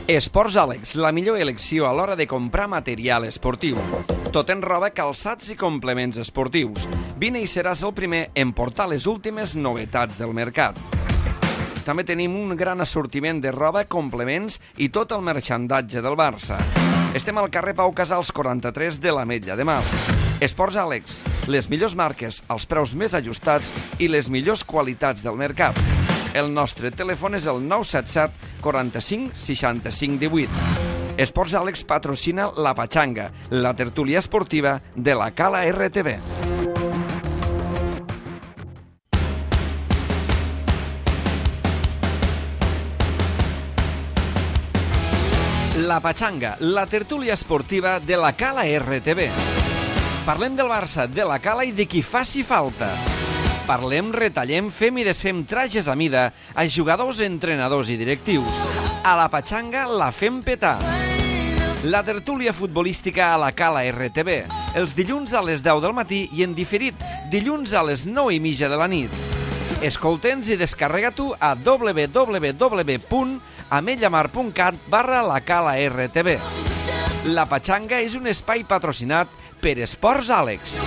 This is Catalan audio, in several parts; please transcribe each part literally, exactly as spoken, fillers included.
Esports Àlex, la millor elecció a l'hora de comprar material esportiu. Tot en roba, calçats i complements esportius. Vine i seràs el primer en portar les últimes novetats del mercat. També tenim un gran assortiment de roba, complements i tot el merchandatge del Barça. Estem al carrer Pau Casals quaranta-tres de l'Ametlla de Mar. Esports Àlex, les millors marques, els preus més ajustats i les millors qualitats del mercat. El nostre telèfon és el nou set set quaranta-cinc seixanta-cinc divuit. Esports Àlex patrocina La Pachanga, la tertúlia esportiva de la Cala R T V. La Pachanga, la tertúlia esportiva de la Cala R T V. Parlem del Barça, de la Cala i de qui faci falta. Parlem, retallem, fem i desfem trajes a mida a jugadors, entrenadors i directius. A la Pachanga la fem petar. La tertúlia futbolística a la Cala R T V, els dilluns a les deu del matí i en diferit, dilluns a les nou i mitja de la nit. Escolta'ns i descarrega-t'ho a w w w punt ametllamar punt cat barra la Cala R T V. La Pachanga és un espai patrocinat per Esports Àlex.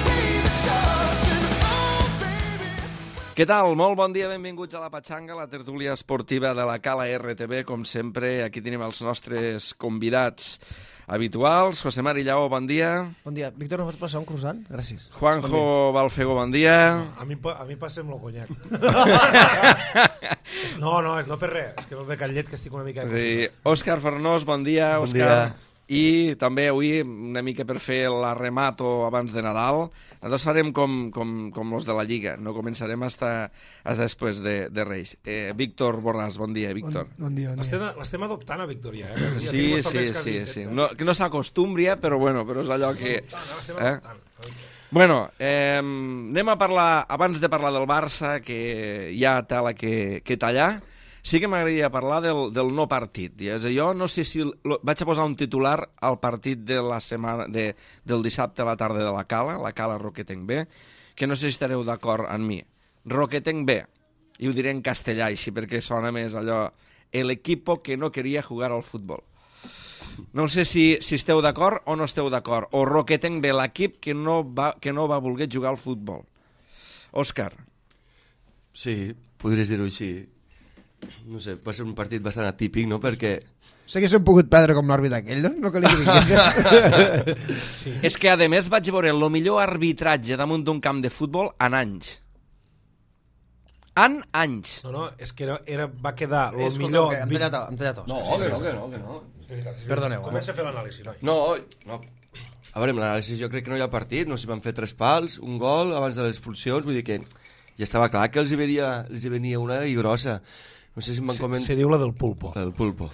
Què tal? Molt bon dia, benvinguts a la Pachanga, la tertúlia esportiva de la Cala R T V. Com sempre, aquí tenim els nostres convidats habituals. José Mari Lleó, bon dia. Bon dia. Víctor, no pots passar un croissant? Gràcies. Juanjo bon Balfego, bon dia. No, a mi, a mi passem el conyac. No, no, no per res. És que no ve cal llet, que estic una mica... Sí. Òscar Fornós, bon dia. Bon Òscar. dia. I també avui, una mica per fer l'arremato abans de Nadal, nosaltres farem com, com, com els de la Lliga, no començarem hasta, hasta després de, de Reis. Eh, Víctor Borràs, bon dia, Víctor. Bon, bon dia, bon dia. L'estem adoptant a Víctor, ja. Eh? Sí, sí, sí, sí. No, que no s'acostumbri, eh, però bueno, però és allò que... L'estem eh? adoptant. Bueno, eh, anem a parlar, abans de parlar del Barça, que hi ha tela que, que tallar, sí que m'agradaria parlar del, del no partit. I és a dir, jo no sé si... Lo, vaig a posar un titular al partit de la setmana, de, del dissabte a la tarda de la Cala, la Cala Roquetenc B, que no sé si estareu d'acord amb mi. Roquetenc B, i ho diré en castellà així, perquè sona més allò... El equipo que no quería jugar al futbol. No sé si, si esteu d'acord o no esteu d'acord. O Roquetenc B, l'equip que, no va, que no va voler jugar al futbol. Òscar. Sí, podries dir-ho així. No sé, va ser un partit bastant atípic, no?, perquè... Sé que s'han pogut perdre com l'àrbit aquell, no? No calia que vingués. Sí. És que, a més, vaig veure el millor arbitratge damunt d'un camp de futbol en anys. En anys. No, no, és que era, era, va quedar el Escolta, millor... Em tallat, em tallat os. No, Sí, que sí, no, que no, que no. Perdoneu. Comença a fer l'anàlisi, noi. No, no. A veure, amb l'anàlisi jo crec que no hi ha partit, no sé si van fer tres pals, un gol abans de les expulsions, vull dir que ja estava clar que els hi venia, els hi venia una i grossa. No sé si em van comentar... Se diu la del pulpo. La del pulpo.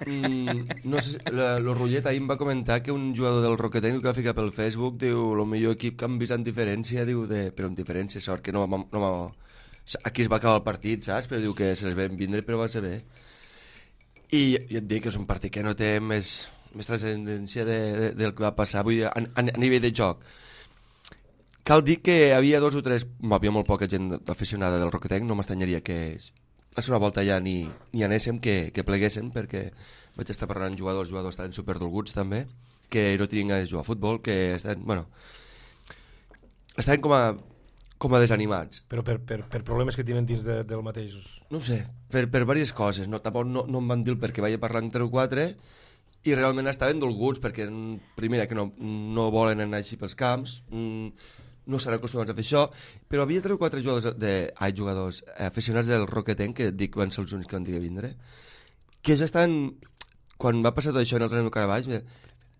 mm, no sé, la, lo Rullet ahir em va comentar que un jugador del Roquetenc que va ficar pel Facebook, diu, el millor equip que han vist en diferència, diu, de, però en diferència, sort que no va... No va aquí es va acabar el partit, saps? Però diu que se les vam vindre, però va ser bé. I, i et dic que és un partit que no té més, més transcendència de, de, del que va passar, vull dir, a, a, a nivell de joc. Cal dir que hi havia dos o tres... Hi havia molt poca gent aficionada del Roquetenc, no m'estanyaria que la segona volta ja ni, ni anéssim, que, que pleguéssim, perquè vaig estar parlant amb jugadors, jugadors estaven superdolguts també, que no tenien ganes de jugar a futbol, que estaven, bueno, estaven com a, com a desanimats. Però per, per, per problemes que tenen dins de, del mateix... No ho sé, per, per diverses coses. No, tampoc no, no em van dir el perquè vaig parlar amb tres o quatre i realment estaven dolguts, perquè primera que no, no volen anar així pels camps, no estan acostumats a fer això, però havia tres o quatre jugadors, de, ai, jugadors aficionats del Roquetenc, que dic van ser els únics que van dir que vindre, que ja estan, quan va passar tot això en el tren de Carabaix,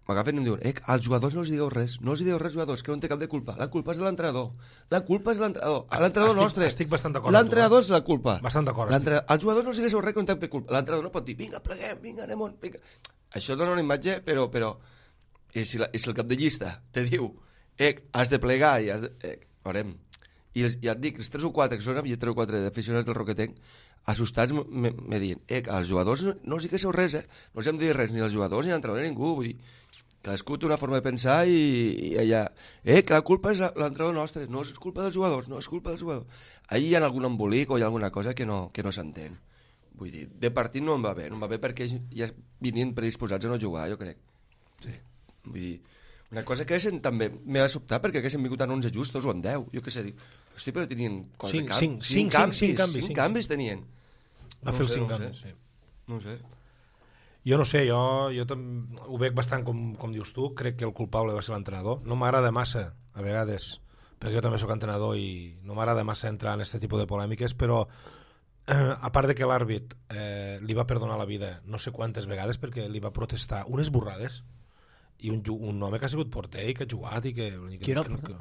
m'agafen i em diuen, eh, als jugadors no els digueu res, no els digueu res, jugadors, que no en té cap de culpa, la culpa és de l'entrenador, la culpa és de l'entrenador, l'entrenador nostre, estic bastant d'acord, l'entrenador és la culpa, bastant d'acord, als jugadors no els digueu res que no en té cap de culpa, l'entrenador no pot dir, vinga, pleguem, vinga, anem on, vinga. Això dona una imatge, però, però i si, la, i si el cap de llista te diu, eh, has de plegar i has de... Eh, veurem. I els, ja et dic, els tres o quatre, que són havia tres o quatre d'aficionats del Roquetenc, assustats me, me diuen, eh, als jugadors no, no els diguéssiu res, eh, no els hem de dir res, ni als jugadors ni a l'entrenador ni a ningú, vull dir, Cadascú té una forma de pensar i, i allà... Eh, que la culpa és l'entrenador nostre. No, és culpa dels jugadors, no, és culpa dels jugadors. Ahí hi ha algun embolic o hi ha alguna cosa que no, que no s'entén. Vull dir, de partit no em va bé. No em va bé perquè ja venien predisposats a no jugar, jo crec. Sí. Vull dir, una cosa que haguessin també m'ha de sobtar perquè haguessin vingut en onze justos o en deu. Jo què sé, dic, hosti, però tenien... Cinc, camp... cinc, cinc, cinc, canvis, cinc canvis, cinc cinc canvis tenien. Va fer els cinc canvis, sí. No ho sé. Jo no sé, jo, jo ho veig bastant com, com dius tu, crec que el culpable va ser l'entrenador. No m'agrada massa, a vegades, perquè jo també sóc entrenador i no m'agrada massa entrar en aquest tipus de polèmiques, però eh, a part de que l'àrbit eh, li va perdonar la vida no sé quantes vegades perquè li va protestar unes borrades i un, un home que ha sigut porter i que ha jugat i que... Qui era el que, porter?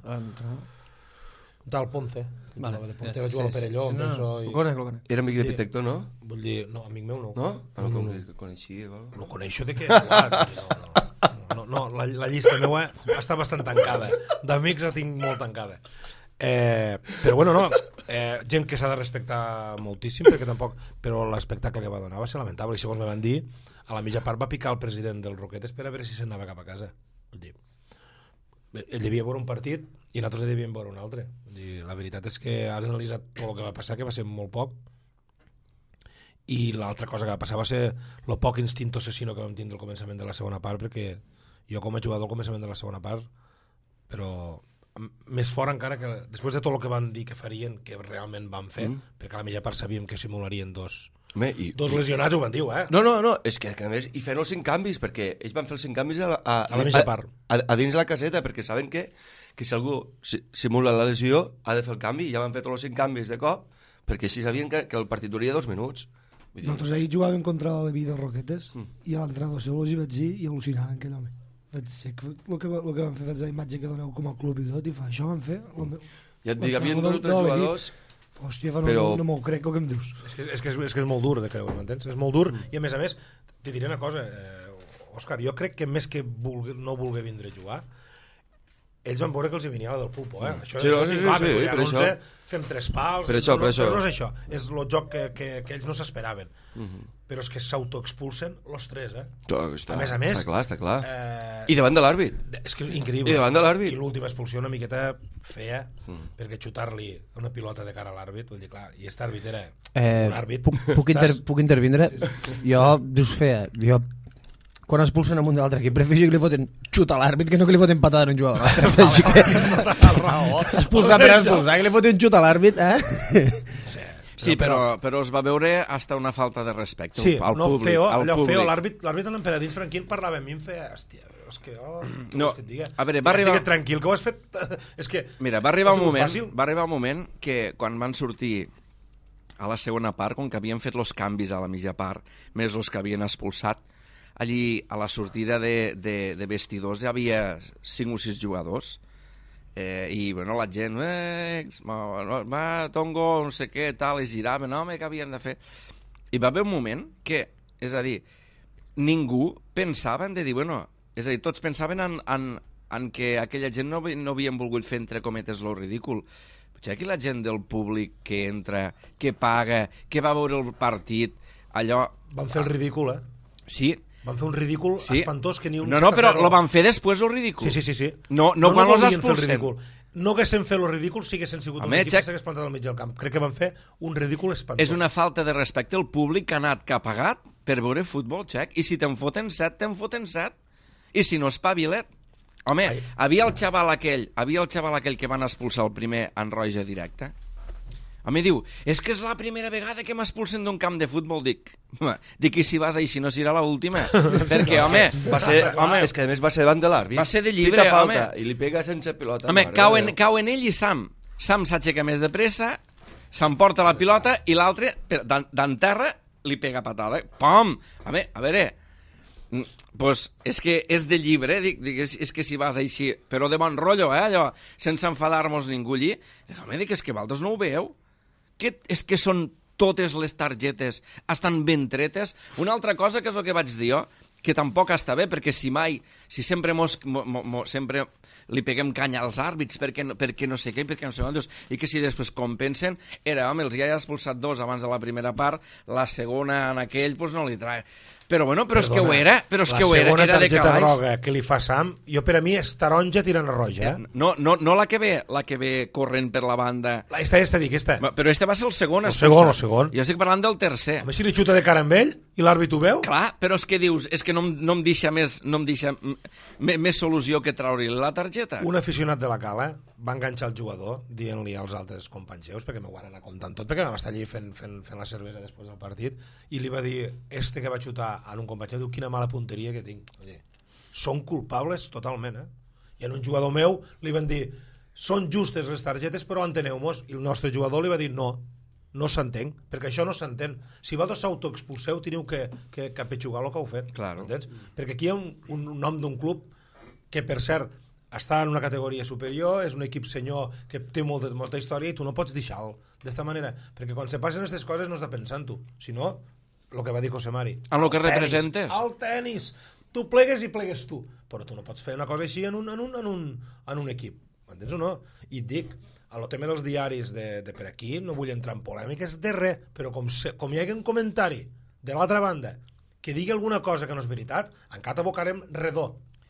Un tal Ponce, que vale, de porter, sí, va jugar al sí, Perelló, sí, sí, no, penso, no, i... ho conec, ho conec. Era amic de Sí. Pitector, no? Vull dir, no, amic meu no. No? Ah, no, Amic com meu que coneixia. Igual. No coneixo de què he jugat. No, no, no, no la, la llista meva està bastant tancada. D'amics la tinc molt tancada. Eh, però bueno, no, eh, gent que s'ha de respectar moltíssim, perquè tampoc, però l'espectacle que va donar va ser lamentable, i segons me van dir, a la mitja part va picar el president del Roquetes per a veure si se'n anava cap a casa. Vull dir, ell devia veure un partit i nosaltres devíem veure un altre. Vull dir, la veritat és que has analitzat tot el que va passar, que va ser molt poc, i l'altra cosa que va passar va ser el poc instint assassino que vam tindre al començament de la segona part, perquè jo com a jugador al començament de la segona part, però més fort encara que després de tot el que van dir que farien, que realment van fer, mm. perquè a la mitja part sabíem que simularien dos Home, i, dos i... lesionats, ho van dir, eh? No, no, no, és que, que a més hi feien els cinc canvis, perquè ells van fer els cinc canvis a, a, a la mitja part. A, a, a dins la caseta, perquè saben que, que si algú si, simula la lesió ha de fer el canvi, i ja van fer tots els cinc canvis de cop, perquè així sabien que, que el partit duria dos minuts. Vull dir... Nosaltres ahir jugàvem contra l'Evi de Roquetes mm. i a l'entrenador seu els hi vaig dir i al·lucinaven aquell home. Vaig dir que el que, el que van fer és la imatge que doneu com a club i tot, i fa, això van fer... Ja et dic, hi havia dos o tres jugadors... Hòstia, fa, no, però... no, no m'ho crec el que em dius. És que és, que és, és, que és molt dur de creure, m'entens? És molt dur, mm. i a més a més, te diré una cosa, eh, Òscar, jo crec que més que vulgui, no voler vindre a jugar, ells van veure que els hi venia la del pulpo, eh? Això sí, no, sí, sí, clar, sí, per això. Fem tres pals, per això, no, per això. però no és això, és el joc que, que, que ells no s'esperaven. Mm -hmm. Però és que s'autoexpulsen els tres, eh? Està, a més a més... Està clar, està clar. Eh, I davant de l'àrbit. És que és increïble. I davant de l'àrbit. I l'última expulsió una miqueta feia, mm. perquè perquè xutar-li una pilota de cara a l'àrbit, vull dir, clar, i aquest àrbit era eh, un àrbit. Puc, puc, inter, puc intervindre? Sí, sí, sí. Jo, dius feia, jo quan expulsen a un de l'altre equip, prefereixo que li foten xuta a l'àrbit que no que li foten patada a un jugador. Així que... expulsar per expulsar, que li foten xuta a l'àrbit, eh? Sí, però, però es va veure hasta una falta de respecte sí, al no públic. Feo, al allò públic. feo, l'àrbit en l'emperadins Franquín parlava amb mi, em feia, hòstia, és que, oh, no, que et diga? a veure, va arribar... Estic tranquil, que ho has fet... és que... Mira, va arribar, un moment, fàcil? va arribar un moment que quan van sortir a la segona part, com que havien fet els canvis a la mitja part, més els que havien expulsat, allí a la sortida de, de, de vestidors hi havia cinc o sis jugadors, eh, i bueno, la gent eh, va, va, Tongo, no sé què, tal, i giraven, home, què havien de fer? I va haver un moment que, és a dir, ningú pensava en de dir, bueno, és a dir, tots pensaven en, en, en que aquella gent no, no havien volgut fer, entre cometes, lo ridícul. Potser aquí la gent del públic que entra, que paga, que va veure el partit, allò... Van fer el ridícul, eh? Sí. Van fer un ridícul sí. espantós que ni un... No, no, però lo van fer després, el ridícul. Sí, sí, sí. sí. No, no, no quan no los expulsen. No haguessin fet el ridícul si haguessin sigut Home, un equip Jack... que s'hagués plantat al mig del camp. Crec que van fer un ridícul espantós. És una falta de respecte al públic que ha anat, que ha pagat per veure futbol, Jack. I si te'n foten set, te'n foten set. I si no, espavilet. Home, Ai. havia el xaval aquell, havia el xaval aquell que van expulsar el primer en roja directa. A mi diu, és que és la primera vegada que m'expulsen d'un camp de futbol. Dic, dic, i si vas així no serà l'última? Perquè, home... Va ser, home, és que a més va ser davant de l'àrbit. Va ser de llibre, Pita falta, home. I li pega sense pilota. Home, mare, cau en, cau en ell i Sam. Sam s'aixeca més de pressa, s'emporta la pilota i l'altre, d'en terra, li pega patada. Pom! Home, a veure... Pues és que és de llibre, dic, dic és, és que si vas així, però de bon rotllo, eh, allò, sense enfadar-nos ningú allí. Dic, home, dic, és que vosaltres no ho veieu? Que, és que són totes les targetes, estan ben tretes. Una altra cosa que és el que vaig dir jo, que tampoc està bé, perquè si mai, si sempre, mos, mo, mo, sempre li peguem canya als àrbits perquè no, perquè no sé què, perquè no sé quantos, i que si després compensen, era, home, els ja ha expulsat dos abans de la primera part, la segona en aquell, doncs no li trae. Però bueno, però és que ho era, però és que ho era, era de La segona calaix. targeta groga que li fa Sam, jo per a mi és taronja tirant a roja, eh? No, no, no la que ve, la que ve corrent per la banda. La, esta, esta, dic, esta. Però este va ser el segon. El expulsat. segon, el segon. Jo estic parlant del tercer. Home, si li xuta de cara amb ell i l'àrbit ho veu... Clar, però és que dius, és que no, em- no em deixa més, no em deixa m- més solució que treure-li la targeta. Un aficionat de la Cala va enganxar el jugador dient-li als altres companys seus, perquè m'ho van anar contant tot, perquè vam estar allí fent, fent, fent la cervesa després del partit, i li va dir, este que va xutar en un company seu, diu, quina mala punteria que tinc. Oye, són culpables totalment, eh? I en un jugador meu li van dir, són justes les targetes, però enteneu-mos. I el nostre jugador li va dir, no, no s'entén, perquè això no s'entén. Si vosaltres s'autoexpulseu, teniu que, que, que apetxugar el que heu fet. Claro. Entens? Perquè aquí hi ha un, un nom d'un club que, per cert, està en una categoria superior, és un equip senyor que té molta, molta història i tu no pots deixar-lo d'esta manera, perquè quan se passen aquestes coses no has de pensar en tu, sinó el que va dir José Mari. En lo que El tenis, representes. El tenis. Tu plegues i plegues tu, però tu no pots fer una cosa així en un, en un, en un, en un equip, m'entens o no? I et dic, a lo tema dels diaris de, de per aquí, no vull entrar en polèmiques de res, però com, se, com hi hagi un comentari de l'altra banda que digui alguna cosa que no és veritat, encara t'abocarem redó.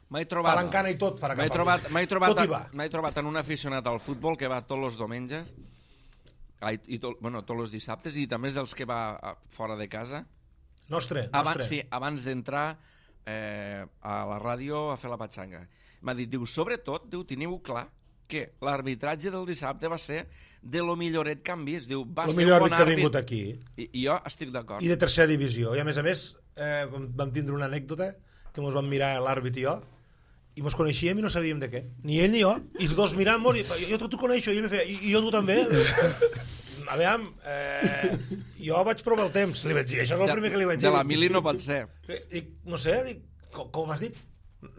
M'he trobat, Palancana i tot farà m'he cap trobat, a m'he trobat, tot hi va. m'he trobat en un aficionat al futbol que va tots els diumenges ai, i tot, bueno, tots els dissabtes i també és dels que va a, fora de casa Nostre, abans, nostre. sí, abans d'entrar eh, a la ràdio a fer la patxanga. M'ha dit, diu, sobretot, diu, teniu clar que l'arbitratge del dissabte va ser de lo milloret que han vist. Diu, va El ser millor un bon àrbit que ha àrbit. vingut aquí. I, I jo estic d'acord. I de tercera divisió. I a més a més, eh, vam vam tindre una anècdota que ens vam mirar l'àrbit i jo, i mos coneixíem i no sabíem de què. Ni ell ni jo. I els dos mirant-nos, i jo tu coneixo, i ell me feia, i, i jo tu també? A veure, eh, jo vaig provar el temps, li vaig dir, això és el primer que li vaig dir. De la mili no pot ser. Dic, no sé, dic, com, com has dit?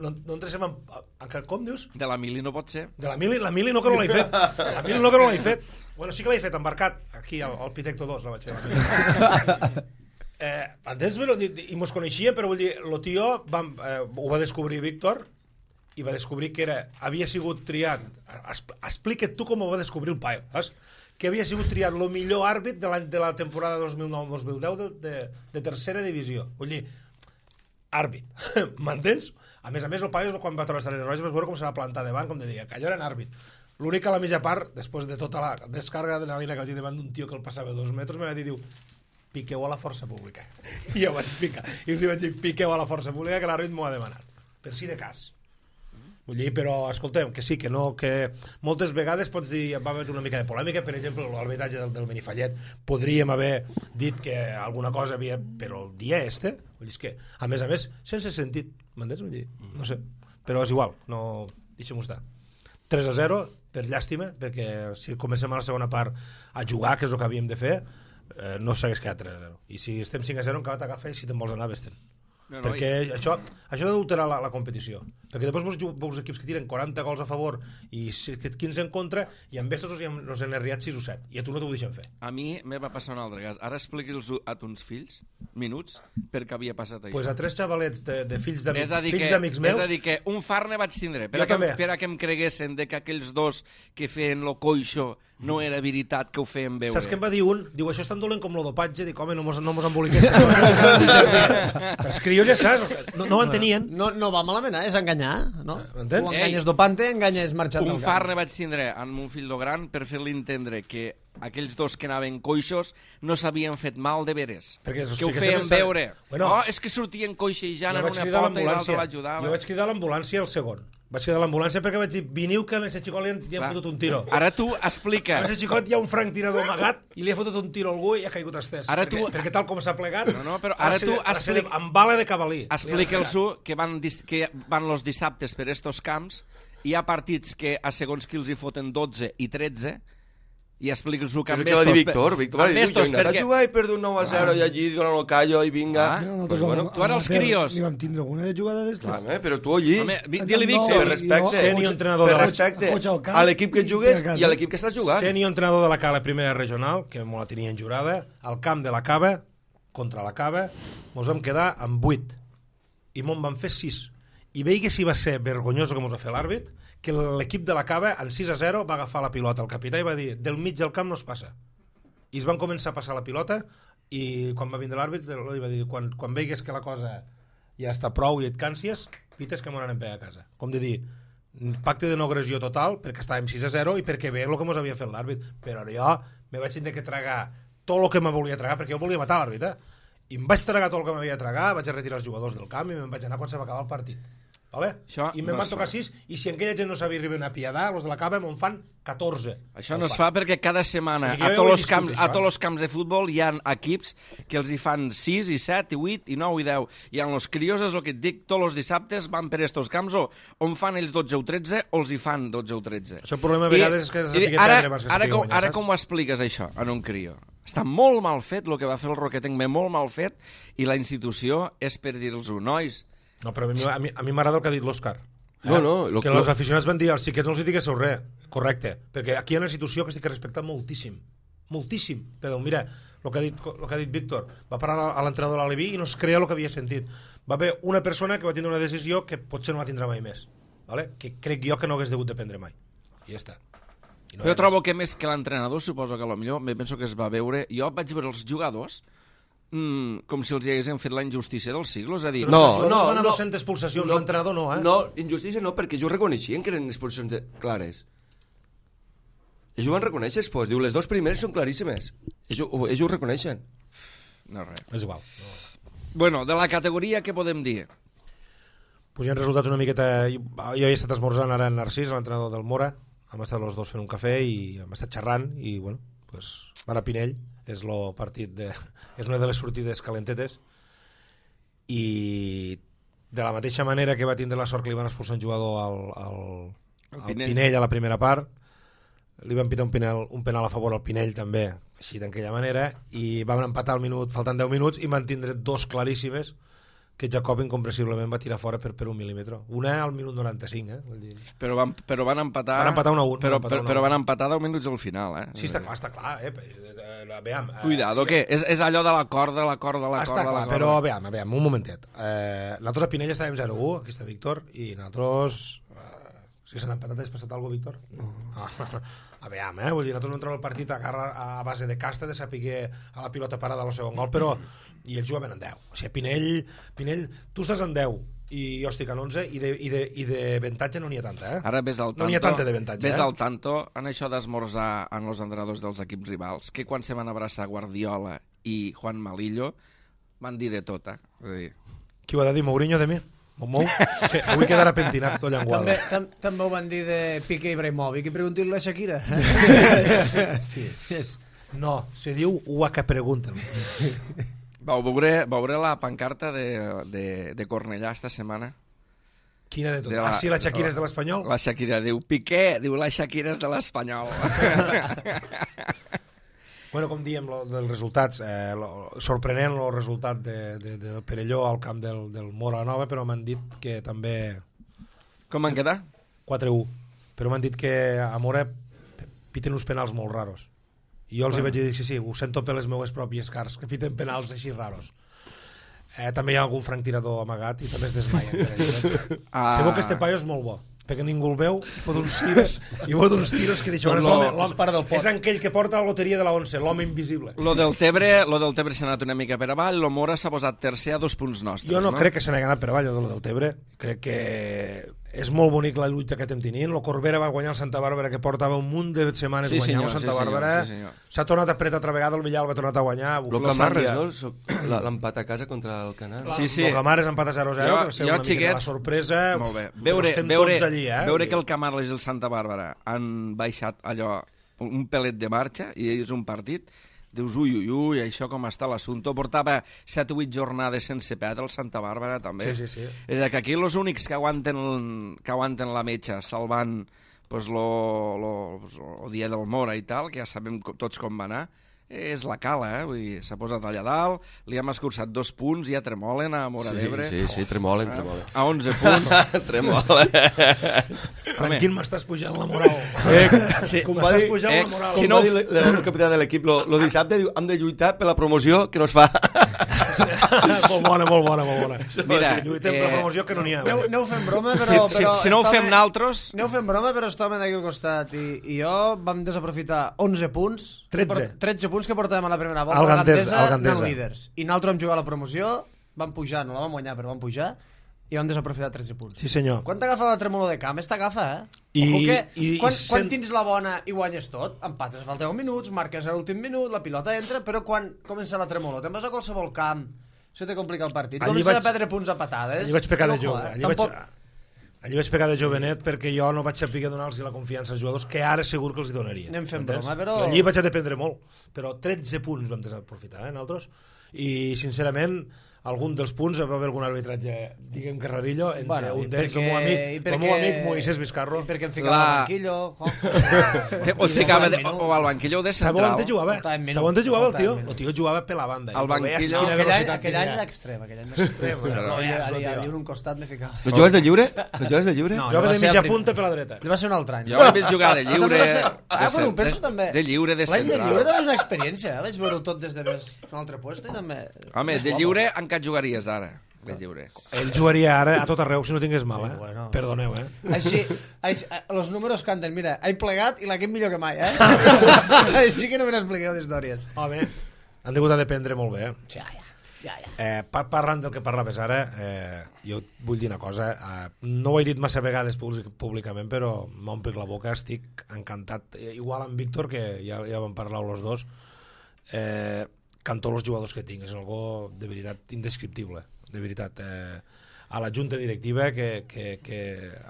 No, no entresem en, en... Com dius? De la mili no pot ser. De la mili, la mili no que no l'he fet. La mili no que no l'he fet. Bueno, sí que l'he fet embarcat. Aquí, al, al Pitecto dos, la vaig fer. La eh, entens? I mos coneixia, però vull dir, el tio vam, eh, ho va descobrir Víctor i va descobrir que era, havia sigut triat, explica't tu com ho va descobrir el paio, saps? Que havia sigut triat el millor àrbit de, de la temporada dos mil nou dos mil deu de, de, de tercera divisió. Vull dir, àrbit, m'entens? A més a més, el paio, quan va trobar les roges, vas veure com se va plantar davant, com de dir, que allò era en àrbit. L'únic a la mitja part, després de tota la descàrrega de la lina que el davant d'un tio que el passava dos metres, me va dir, diu, piqueu a la força pública. I jo vaig picar. I els vaig dir, piqueu a la força pública, que l'àrbit m'ho ha demanat. Per si de cas. Vull dir, però, escolteu, que sí, que no, que moltes vegades pots dir, va haver una mica de polèmica, per exemple, l'arbitratge del, del Benifallet, podríem haver dit que alguna cosa havia... Però el dia este, vull dir, és que, a més a més, sense sentit, m'entens? Vull dir, no sé, però és igual, no... Deixem-ho estar. tres a zero, per llàstima, perquè si comencem a la segona part a jugar, que és el que havíem de fer, eh, no s'hagués quedat tres a zero. I si estem cinc a zero, encara t'agafa i si te'n vols anar, vés-te'n. No, no, perquè i... això, això adulterarà la, la competició, perquè després veus, veus equips que tiren quaranta gols a favor i quinze en contra, i amb estos nos han arriat sis o set i a tu no t'ho deixen fer. A mi me va passar un altre cas. Ara expliqui'ls a tons fills minuts perquè havia passat això. Pues a tres xavalets de, de fills d'amics fills meus... És a dir que un farne vaig tindre per, a que, també. per a que em creguessin de que aquells dos que feien lo coixo no era veritat que ho feien veure. Saps què em va dir un? Diu, això és tan dolent com lo dopatge. Dic, home, no mos, no mos emboliquessin. Els crios ja saps, no, no ho entenien. No, no va malament, eh? És enganyar, no? M'entens? Tu enganyes dopante, enganyes marxant Un del farne vaig tindre amb un fill de gran per fer-li entendre que aquells dos que anaven coixos no s'havien fet mal de veres. Perquè, que sí, ho que feien sempre- veure. Bueno, oh, és que sortien coixejant Jo en vaig una cridar pota i l'altre l'ambulància. l'ajudava. Jo vaig cridar l'ambulància al segon. Vaig cridar l'ambulància perquè vaig dir, veniu que a aquest xicot li han, li han Clar. fotut un tiro. Ara tu explica. A aquest xicot hi ha un franc tirador amagat i li ha fotut un tiro a algú i ha caigut estès. Ara perquè, tu- perquè tal com s'ha plegat... No, no, però ara se- tu se explica- li- amb bala de cavalí. Explica'ls-ho que van, dis- que van los dissabtes per estos camps, hi ha partits que a segons qui els hi foten dotze i tretze, i explica'ls-ho que És el amb que va dir estos... Víctor. Víctor va dir, jo he anat a jugar i perdo un nou a zero i allí donen el callo i vinga. Ah. No, Pues bueno, tu ara els crios. Ni vam tindre alguna de jugada d'estes. home, però tu allí, Home, vi- No, di-li no, Víctor. per respecte, Seni entrenador per de la- respecte Coach al camp a l'equip que i jugues a casa. i a l'equip que estàs jugant. Seni, entrenador de la Cala Primera Regional, que m'ho la tenien jurada, al camp de la Cava, contra la Cava, mos vam quedar amb vuit. i m'on van fer sis. I veia si va ser vergonyós el que ens va fer l'àrbit, que l'equip de la Cava, en sis a zero, va agafar la pilota al capità i va dir, del mig del camp no es passa. I es van començar a passar la pilota, i quan va vindre l'àrbit, li va dir, quan, quan veigues que la cosa ja està prou i et cansies, pites que m'ho anem a casa. Com de dir, pacte de no agressió total, perquè estàvem sis a zero i perquè veia el que ens havia fet l'àrbit. Però jo me vaig tenir que tragar tot el que me volia tragar, perquè jo volia matar l'àrbit, eh? I em vaig tragar tot el que m'havia de tragar, vaig a retirar els jugadors del camp i me'n vaig anar quan se va acabar el partit. Vale? Això I me'n no van es tocar fa. sis, i si aquella gent no sabia arribar a piedar, els de la Cava me'n fan catorze. Això no es fa perquè cada setmana Perquè a jo ja tots ho he els viscut, camps, això, a tots eh? els camps de futbol hi ha equips que els hi fan sis i set i vuit i nou i deu. I en els crios és el que et dic, tots els dissabtes van per estos camps o on fan ells dotze o tretze o els hi fan dotze o tretze. Això el problema a vegades és que se sàpiga ara, perdre abans que ara, sàpiga com, guanyar, ara saps? com ho expliques això en un crio? Està molt mal fet el que va fer el Roquetenc, molt mal fet, i la institució és per dir-los-ho, nois. No, però a mi a mi- a mi m'agrada el que ha dit l'Òscar. Eh? No, no, lo- que lo- els aficionats van dir als xiquets no els hi diguéssiu res. Correcte, perquè aquí hi ha una institució que estic respectant moltíssim. Moltíssim. Però mira, el que ha dit, el que ha dit Víctor, va parar a l'entrenador de l'Aleví i no es creia el que havia sentit. Va haver una persona que va tindre una decisió que potser no la tindrà mai més. Vale? Que crec jo que no hagués degut de prendre mai. I ja està. I no hi Jo ha trobo més. que més que l'entrenador, suposo que potser me penso que es va veure... Jo vaig veure els jugadors mm, com si els hi haguessin fet la injustícia del siglo, és a dir... Però No, els jugadors no, van a no. dues-centes expulsacions, l'entrenador no, eh? No, injustícia no, perquè ells ho reconeixien que eren expulsions de... clares. Ells ho van reconèixer després. Diu, les dues primeres són claríssimes. Ells ho, ells ho reconeixen. No, res. És igual. Bueno, de la categoria, què podem dir? Pues hi ha resultats una miqueta... Jo he estat esmorzant ara en Narcís, l'entrenador del Mora, hem estat els dos fent un cafè i hem estat xerrant i, bueno, pues, van a Pinell, és, lo partit de, és una de les sortides calentetes i de la mateixa manera que va tindre la sort que li van expulsar un jugador al, al, El al Pinell. Pinell a la primera part, li van pitar un penal, un penal a favor al Pinell també, així d'aquella manera, i van empatar al minut, faltant deu minuts, i van tindre dos claríssimes que Jacob incomprensiblement va tirar fora per, per un mil·límetre. Una al minut noranta-cinc, eh? Vull dir... Però van, però van empatar... Van empatar un a un, Però, van empatar però, un a però un. van empatar deu minuts al final, eh? Sí, està clar, està clar, eh? Eh, eh, Veam, eh, Cuidado, què? És, és allò de la corda, la corda, la Està corda, la clar, corda. però veam, veam, un momentet. Eh, nosaltres a Pinell estàvem zero a u, aquí està Víctor, i nosaltres... Eh, si s'han empatat, has passat alguna cosa, Víctor? No. Ah, a veam, eh? Vull dir, nosaltres no entrem al partit a, garra, a base de casta, de saber a la pilota parada al segon gol, però... I ells jugaven en deu. O sigui, Pinell, Pinell, tu estàs en deu i jo estic en onze i de, i de, i de avantatge no n'hi ha tanta, eh? Ara ves al tanto, No n'hi ha tanta d'avantatge, ves eh? al tanto en això d'esmorzar en els entrenadors dels equips rivals, que quan se van abraçar Guardiola i Juan Malillo van dir de tot, eh? És a dir, Qui ho ha de dir, Mourinho de mi? Mou? Que avui quedarà pentinat tot llenguado. També, tam, també ho van dir de Piqué Ibrahimovic i pregunti-li a la Shakira. Sí. No, se diu ua que pregunten. vau veure, veure la pancarta de, de, de Cornellà esta setmana? Quina de tot? De la- Ah, sí, la Shakira és de l'Espanyol? La Shakira diu, Piqué, diu, la Shakira és de l'Espanyol. Bueno, com diem, lo, dels resultats, eh, lo, sorprenent el resultat de, de, de, del Perelló al camp del, del Mora Nova, però m'han dit que també Com van quedar? quatre a u, però m'han dit que a Mora piten uns penals molt raros. I jo els hi vaig dir, sí, sí, ho sento per les meues pròpies cars, que piten penals així raros. Eh, també hi ha algun franc tirador amagat i també es desmaien. Eh? Ah. Segur que este paio és molt bo, perquè ningú el veu i fot uns tiros, i fot uns tiros que deixen, Doncs és, lo- l'home- l'home- és part del pot. és aquell que porta la loteria de la once, l'home invisible. Lo del Tebre, lo del Tebre s'ha anat una mica per avall, lo Mora s'ha posat tercer a dos punts nostres, Jo no, no? crec que se n'hagi anat per avall, el del Tebre. Crec que és molt bonic la lluita que estem tenint. El Corbera va guanyar el Santa Bàrbara, que portava un munt de setmanes Sí, guanyant senyor, el Santa sí, senyor, Bàrbara. sí, senyor. S'ha tornat a apretar altra vegada, el Villal va tornar a guanyar. Lo Lo Camarres, Sandia- no? So- la- L'empat a casa contra el Canal. La, Sí, sí. El Camarles empat a zero a zero, Jo- que va ser jo, una miqueta la xiquets, sorpresa. Molt bé. Però Veure, estem veure, tots allí, eh? veure que el Camarles i el Santa Bàrbara han baixat allò, un pelet de marxa, i és un partit, dius, ui, ui, ui, això com està l'assumpte. Portava set o vuit jornades sense perdre el Santa Bàrbara, també. Sí, sí, sí. És a dir, que aquí els únics que aguanten, que aguanten la metxa salvant pues, lo, lo, lo dia del Mora i tal, que ja sabem co- tots com va anar, és la Cala, eh? Vull dir, s'ha posat allà dalt, li hem escurçat dos punts, ja tremolen a Mora Sí, d'Ebre. sí, sí, tremolen, tremolen. A onze punts. Tremolen. Tranquil, m'estàs pujant la moral. Eh, Sí, com va M'estàs dir, pujant eh, la moral. si com no- va dir el, el capità de l'equip, lo, lo dissabte diu, hem de lluitar per la promoció que no es fa. Molt bona, molt bona, molt bona. Mira, lluitem per la promoció que no n'hi ha. Aneu, aneu fent broma, Si, però... si, però si no ho està fem bé- naltros... Aneu fent broma, però estàvem d'aquí al costat i, i jo vam desaprofitar onze punts. tretze. tretze punts que portàvem a la primera volta. Al Al Gandesa, Gandesa, al Gandesa. anant líders. I nosaltres vam jugar a la promoció, vam pujar, no la vam guanyar, però vam pujar, i vam desaprofitar tretze punts. Sí, senyor. Quan t'agafa la tremolor de camp, esta agafa, eh? I- Ojo que, i- quan, i quan sent- tens la bona i guanyes tot, empates a falta deu minuts, marques a l'últim minut, la pilota entra, però quan comença la tremolor, te'n vas a qualsevol camp, se te complica el partit, Allí comences vaig- a perdre punts a patades. Allí vaig pecar de Ojo, jove. eh? Allí Tampoc... vaig... Allí vaig pecar de jovenet perquè jo no vaig saber donar-los la confiança als jugadors que ara segur que els hi donaria. Anem fent Entens? broma, però- Allí vaig a dependre molt, però tretze punts vam desaprofitar, eh, nosaltres, i sincerament algun dels punts va haver algun arbitratge, diguem que rarillo, entre Bueno, i un d'ells, el perquè- meu i amic, el perquè- meu amic Moisés Vizcarro. I perquè em ficava La- al banquillo, Juanjo. O, ficava de, o al banquillo de Sabeu on central. te jugava? Faltaven minuts, Sabeu on te jugava el tio? faltaven minuts. El tio jugava per la banda. Al I tu veies banquillo- quina Aquell any, velocitat aquell any tenia. l'extrem, aquell any l'extrem. Però no veies, allà, no, allà, tio. allà un costat me ficava. No jugues de lliure? No jugues de lliure? No. Jugava va de ser mitja el prim- punta per la dreta. Va ser un altre any. Jo l'he vist jugar de lliure... També va ser- de Ah, bueno, ho cent- penso de- també. De lliure, de L'any de central. lliure també és una experiència, eh? Vaig veure-ho tot des de més un altre puesto i també... Home, és de guapo. lliure encara jugaries ara. De lliure. Ell jugaria ara a tot arreu si no tingués mal, eh? Sí, bueno. Perdoneu, eh? Així, així, los números canten, mira, he plegat i l'equip millor que mai, eh? Així que no me n'expliqueu d'històries. Home, han degut a dependre molt bé, eh? Ja, ja, ja, ja. Eh, par parlant del que parlaves ara, eh, jo vull dir una cosa, eh, no ho he dit massa vegades públicament, però m'omplic la boca, estic encantat, eh, igual amb Víctor, que ja, ja vam parlar els dos, eh, amb tots els jugadors que tinc, és algo de veritat indescriptible, de veritat. Eh, a la junta directiva que, que, que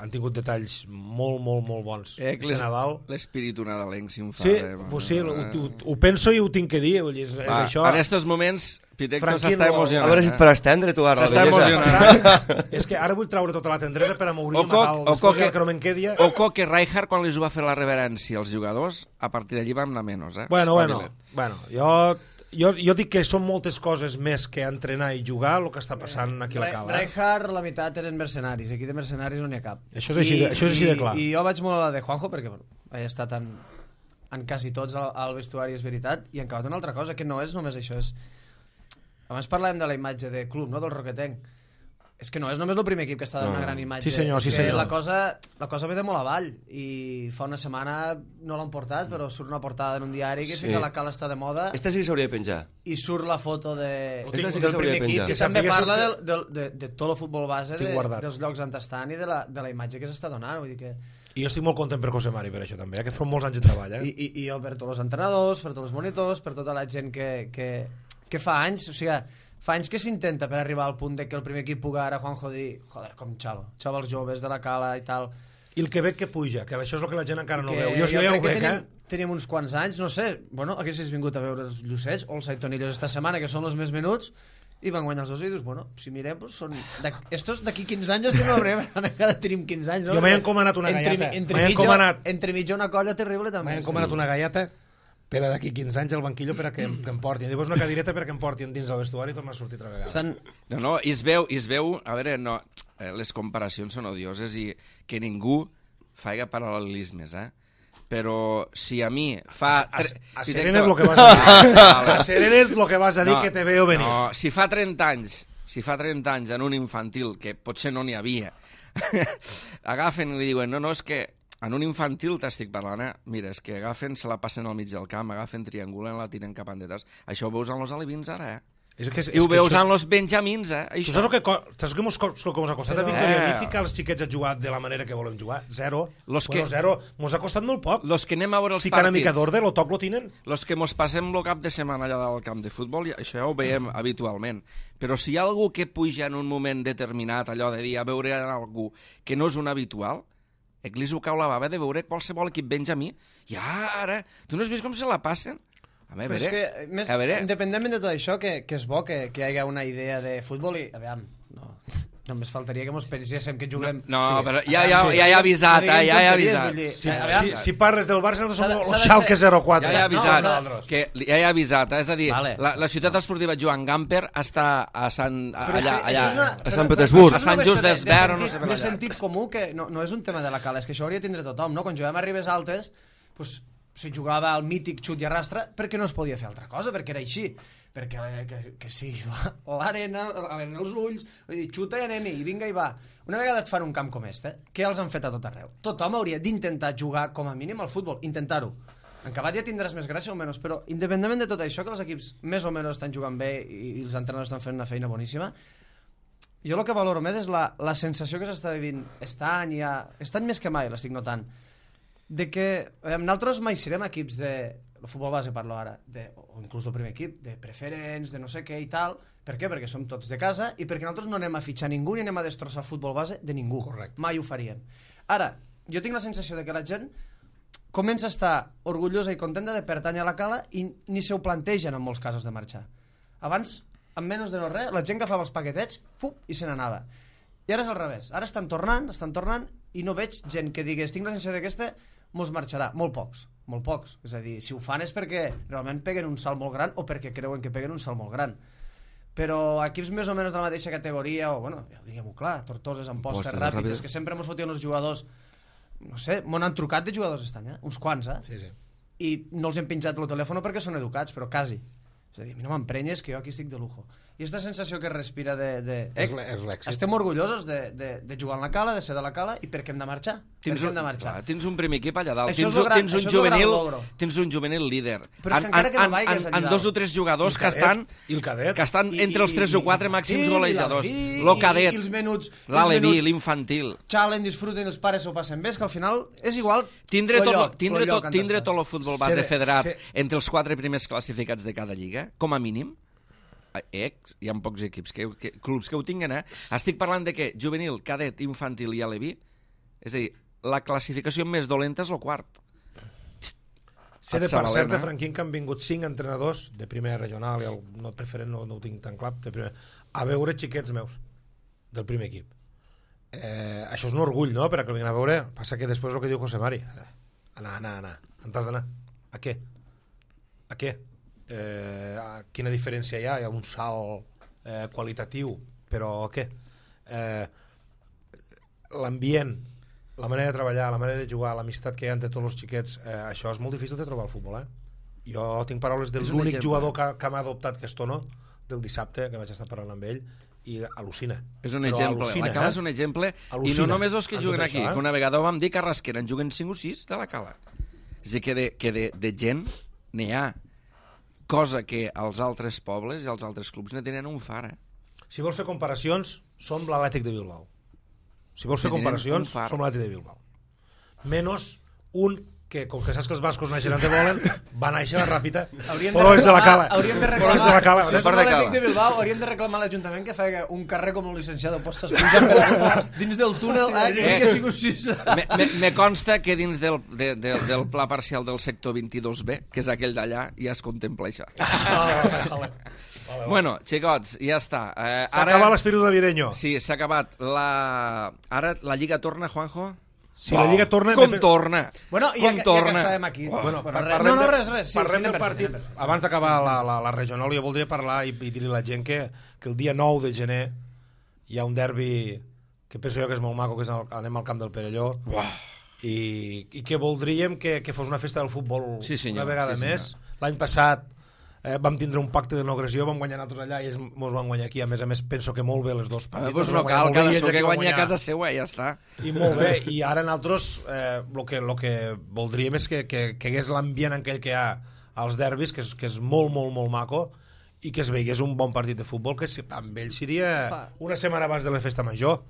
han tingut detalls molt, molt, molt bons Eh, este Nadal. L'espíritu nadalenc s'infla. Sí, eh, pues sí, ho, eh. ho, ho penso i ho tinc que dir, vull dir, és, és Va, això. En aquests moments, Pitecto Franquino, s'està a A emocionant. veure si et faràs tendre tu ara, la S'està bellesa. emocionant. És que ara vull traure tota la tendresa per a m'obrir el Oco, Nadal, oco després que- ja que no me'n quedi. Oco que Rijkaard, quan li va fer la reverència als jugadors, a partir d'allí vam anar menys, eh? Bueno, bueno, Espavila't. bueno jo, jo, jo dic que són moltes coses més que entrenar i jugar el que està passant aquí a la cala. Eh? Rijkaard, la meitat eren mercenaris, aquí de mercenaris no n'hi ha cap. Això és així de- això és així de clar. I, I jo vaig molt a la de Juanjo, perquè bueno, he estat en, en quasi tots al, al vestuari, és veritat, i han acabat una altra cosa, que no és només això, és... Abans parlàvem de la imatge de club, no?, del Roquetenc. És que no és només el primer equip que està donant No. una gran imatge. Sí, senyor, és sí, que senyor. La cosa, la cosa ve de molt avall, i fa una setmana no l'han portat, però surt una portada en un diari que Sí. sí que la cala està de moda, Esta sí que s'hauria de penjar. i surt la foto de, Ho del tinc- sí que primer s'hauria de equip, penjar. que Que també sapiguéssiu parla que- de, de, de, de tot el futbol base, Tinc de, guardat. dels llocs on estan i de la, de la imatge que s'està donant. Vull dir que... I jo estic molt content per José Mari per això també, eh? Que fa molts anys de treball. Eh? I, i, I jo per tots els entrenadors, per tots els monitors, per tota la gent que, que, que fa anys, o sigui, fa anys que s'intenta per arribar al punt de que el primer equip pugui ara Juanjo dir, joder, com xalo, xavals joves de la cala i tal. I el que veig que puja, que això és el que la gent encara no que veu. Jo, jo ja ho crec que veig, tenim, eh? tenim uns quants anys, no sé, bueno, haguessis vingut a veure els Llucets o els Aitonillos esta setmana, que són els més menuts, i van guanyar els dos i dius, bueno, si mirem, pues són... Estos d'aquí quinze anys estem a la primera, encara tenim quinze anys, no? Jo m'he encomanat una Entre- galleta. Entre, M'he mitja, encomanat- entre mitja una colla terrible, també. M'he encomanat una galleta per a d'aquí quinze anys al banquillo per a que, em- que em portin. Llavors una cadireta per a que em portin dins del vestuari i tornar a sortir altra vegada. S'han... No, no, i es veu, i es veu, a veure, no, eh, les comparacions són odioses i que ningú faiga paral·lelismes, eh? Però si a mi fa... A, tre- a si Serena és tenc- el que vas a dir. Vale. A Serena és el que vas a dir que te veo venir. No, si fa trenta anys, si fa trenta anys en un infantil, que potser no n'hi havia, agafen i li diuen, no, no, és que en un infantil t'estic parlant, eh? Mira, és que agafen, se la passen al mig del camp, agafen, triangulen, la tiren cap endetes. Això ho veus en els alevins ara, eh? És que, és, I ho que veus això és- en els benjamins, eh? Tu Això. saps el que, co- saps que mos, co- el que mos ha costat a Però- Víctor i a mi Eh. ficar els xiquets a jugar de la manera que volem jugar? Zero. Los bueno, que- zero. Mos ha costat molt poc. Los que anem a veure els Ficar una mica partits, d'ordre, lo toc lo tenen. los que mos passem el cap de setmana allà del camp de futbol, ja- això ja ho veiem habitualment. Però si hi ha algú que puja en un moment determinat, allò de dir a veure algú que no és un habitual, Eclis ho cau la bava de veure qualsevol equip benjamí, i ara, tu no has vist com se la passen? A Però veure, és que, més, a veure, independentment de tot això, que, que és bo que, que hi hagi una idea de futbol i, a veure, no, només faltaria que mos penséssim que juguem... no, sí, però ja, ja, sí, ja he avisat, no eh, diguem ja he tonteries, avisat. vull dir, Si, a veure, si, si parles del Barça, nosaltres S'ha de- som s'ha el de Schalke ser- zero quatre. Ja he avisat, nosaltres. que ja he avisat, eh? És a dir, Vale. la, la ciutat esportiva Joan Gamper està a Sant, a, Però és allà, que això és allà. una- A però- Sant però- Petersburg. però és A Sant una Just qüestió de- d'Esvern, de no sé sentit- per de allà. sentit comú, que no, no és un tema de la cala, és que això hauria de tindre tothom, no? Quan juguem a Ribes Altes, pues, se jugava al mític xut i arrastre perquè no es podia fer altra cosa, perquè era així. Perquè que, que sí, l'arena, l'arena els ulls, vull dir, xuta i anem-hi, i vinga i va. Una vegada et fan un camp com este, què els han fet a tot arreu? Tothom hauria d'intentar jugar com a mínim al futbol, intentar-ho. En acabat ja tindràs més gràcia o menys, però independentment de tot això, que els equips més o menys estan jugant bé i els entrenadors estan fent una feina boníssima, jo el que valoro més és la, la sensació que s'està vivint aquest any, ja, aquest any més que mai l'estic notant, de que eh, nosaltres mai serem equips de... el futbol base parlo ara, de, o inclús el primer equip, de preferents, de no sé què i tal. Per què? Perquè som tots de casa i perquè nosaltres no anem a fitxar ningú ni anem a destrossar el futbol base de ningú. Correcte. Mai ho faríem. Ara, jo tinc la sensació de que la gent comença a estar orgullosa i contenta de pertànyer a la Cala i ni se ho plantegen en molts casos de marxar. Abans, amb menys de no res, la gent agafava els paquetets fup, i se n'anava. I ara és al revés. Ara estan tornant, estan tornant i no veig gent que digués tinc la sensació de que este mos marxarà. Molt pocs, molt pocs. És a dir, si ho fan és perquè realment peguen un salt molt gran o perquè creuen que peguen un salt molt gran. Però equips més o menys de la mateixa categoria, o bueno, ja ho diguem-ho clar, Tortoses, Ampostes, Ràpides, que sempre mos fotien els jugadors, no sé, m'ho han trucat de jugadors aquest any, eh? Uns quants, eh? Sí, sí. I no els hem pinjat el telèfon perquè són educats, però quasi. És a dir, a mi no m'emprenyes que jo aquí estic de lujo. I aquesta sensació que respira de... de eh, És l'èxit. estem orgullosos de, de, de jugar en la Cala, de ser de la Cala, i per què hem de marxar? Tens per què un, hem de marxar? clar, tens un primer equip allà dalt, Això tens, és lo gran- tens, un això és lo gran juvenil, logro. tens un juvenil líder. Però és que encara que no vagis allà en dalt. dos o tres jugadors I que el cadet, estan, i el cadet. que estan I- entre els i- tres o quatre i- màxims i- golejadors. i- Lo i- cadet, i els menuts- i els l'Alevi, menuts- l'infantil. Xalen, disfruten, els pares s'ho passen bé, és que al final és igual Tindre lo tot, lloc, tindre lo lloc tot, on tindre estàs. tot el futbol base Ser- federat ser- entre els quatre primers classificats de cada lliga, com a mínim, ex, hi ha pocs equips, que, que, clubs que ho tinguen, eh? Estic parlant de que juvenil, cadet, infantil i aleví, és a dir, la classificació més dolenta és el quart. Sé de Et per Sabalena. cert, de Franquín, que han vingut cinc entrenadors de primera regional, i el no preferent no, no ho tinc tan clar, de primer, a veure xiquets meus del primer equip. Eh, això és un orgull, no?, per a que el vinguin a veure. Passa que després el que diu José Mari, eh, anar, anar, anar, on t'has d'anar? A què? A què? Eh, a quina diferència hi ha? Hi ha un salt eh, qualitatiu, però què? Eh, l'ambient, la manera de treballar, la manera de jugar, l'amistat que hi ha entre tots els xiquets, eh, això és molt difícil de trobar al futbol, eh? Jo tinc paraules de És un l'únic exemple. jugador que, que m'ha adoptat, que és Tono, del dissabte, que vaig estar parlant amb ell, i al·lucina. És un Però exemple, al·lucina, la Cala eh? és un exemple, i Al·lucina no només els que amb juguen tot aquí, això, eh? que una vegada ho vam dir que a Rasquera en juguen cinc o sis de la Cala. És a dir, que de, que de, de gent n'hi ha, cosa que als altres pobles i als altres clubs ne tenen un far, eh? Si vols fer comparacions, som l'Atlètic de Bilbao. Si vols fer Que tenen comparacions, un far. som l'Atlètic de Bilbao. Menos un que, com que saps que els bascos naixen on te volen, va néixer a la Ràpita, Hauríem però és de la Cala. Hauríem de Però és de la Cala. reclamar, si Sí, som de l'Atlètic Cala. de Bilbao, hauríem de reclamar a l'Ajuntament que feia un carrer com el licenciado Postas pujant per a, dins del túnel, eh, que havia sigut sis. Me, me, me consta que dins del, de, de, del pla parcial del sector vint-i-dos B, que és aquell d'allà, ja es contempla això. Bueno, xicots, ja està. Eh, S'ha acabat l'espíritu navideño. Sí, s'ha acabat. La... Ara la Lliga torna, Juanjo? Si la Lliga torna... Com torna? Bueno, i ja, Com que- ja torna? que estàvem aquí. Bueno, Bueno, par- res, parlem no, no, de- res, res. Sí, parlem sí, del anem per partit. feina. Abans d'acabar la, la, la regional, jo voldria parlar i, i dir-li a la gent que, que el dia nou de gener hi ha un derbi que penso jo que és molt maco, que és el, anem al camp del Perelló. I, i que voldríem que, que fos una festa del futbol Sí, senyor, una vegada sí, més. L'any passat eh, vam tindre un pacte de no agressió, vam guanyar nosaltres allà i ells mos van guanyar aquí. A més a més, penso que molt bé les dos Ah, partits. doncs els no van guanyar cal, molt bé i cada ells seu aquí que van guanya a guanyar. casa seva, ja està. I molt bé, i ara nosaltres el eh, que, lo que voldríem és que, que, que hagués l'ambient aquell que hi ha als derbis, que és, que és molt, molt, molt maco, i que es veigués un bon partit de futbol, que si, amb ell seria Fa. una setmana abans de la festa major.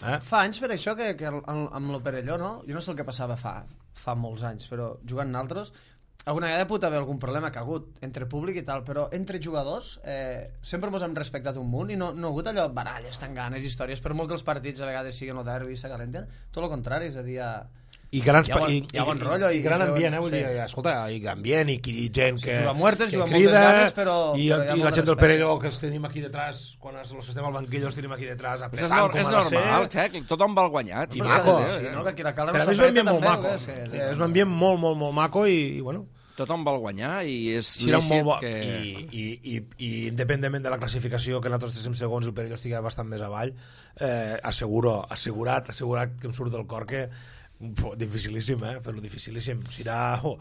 Eh? Fa anys per això que, que el- el- amb el Perelló, no? Jo no sé el que passava fa, fa molts anys, però jugant naltros, alguna vegada pot haver algun problema que ha hagut entre públic i tal, però entre jugadors eh, sempre mos hem respectat un munt i no, no ha hagut allò baralles, tanganes, històries, per molt que els partits a vegades siguin o derbi, s'acalenten, tot el contrari, és a dir, a... I, grans, Hi ha bon- i, hi ha bon rotllo i, i i gran es veuen- ambient, eh? Vull sí. dir, escolta, i ambient i, i gent que, juga a muertes, que juga amb moltes ganes, però- i, però hi ha i molt la de gent del respecte. Perelló que els tenim aquí detrás, quan els, els que estem al banquillo els tenim aquí detrás, Però és, apretant nor com és ha de normal, ser. Xec, tothom va al guanyat. I Però és maco. que sí, no? Que aquí la Cala no Per a mi és un ambient s'apreta molt també, maco. o què? És que- És un ambient molt, molt, molt maco i, i bueno, Tothom va al guanyar i és serà lícit molt bo. que... I, i, i, i independentment de la classificació, que nosaltres estiguem segons i el Perelló estigui bastant més avall, eh, asseguro, assegurat, assegurat que em surt del cor que Dificilíssim, eh? Fer-lo dificilíssim. Serà oh,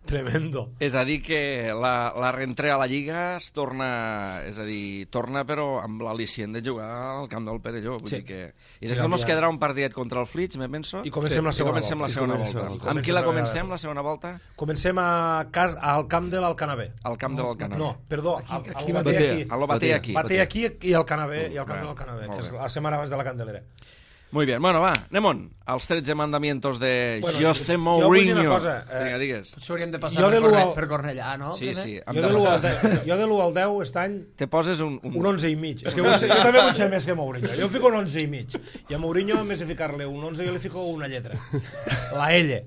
tremendo. És a dir que la, la reentrada a la Lliga es torna, és a dir, torna però amb l'al·licient de jugar al camp del Perelló. Vull Sí. dir que... I després ens quedarà un partidet contra el Flix, me penso. I comencem la segona I comencem volta. la segona I comencem volta. la volta. Amb qui la Comencem comencem, la la segona volta? Comencem a cas, al camp de l'Alcanavè. Al camp de l'Alcanavè. No, perdó, Aquí- al, aquí al va Bater Batea. aquí. A lo Bater aquí. Bater aquí i al Canavè, i al camp Bé, de l'Alcanavè, molt que és bé. la setmana abans de la Candelera. Muy bien, bueno, va, anem on? Els tretze mandamientos de Bueno, José jo vull dir una Mourinho. cosa, eh, Vinga, digues. Potser hauríem de passar Jo per, de l'u Corne al- per Cornellà, no? Sí, primer? sí. hem Jo de de l'u al passar. deu, jo de l'u al deu aquest any Te poses un... un... un onze i mig. És que vull ser, jo també vull ser més que Mourinho. Jo em fico un onze i mig. I a Mourinho, en vez de ficar-li un onze, jo li fico una lletra. La L.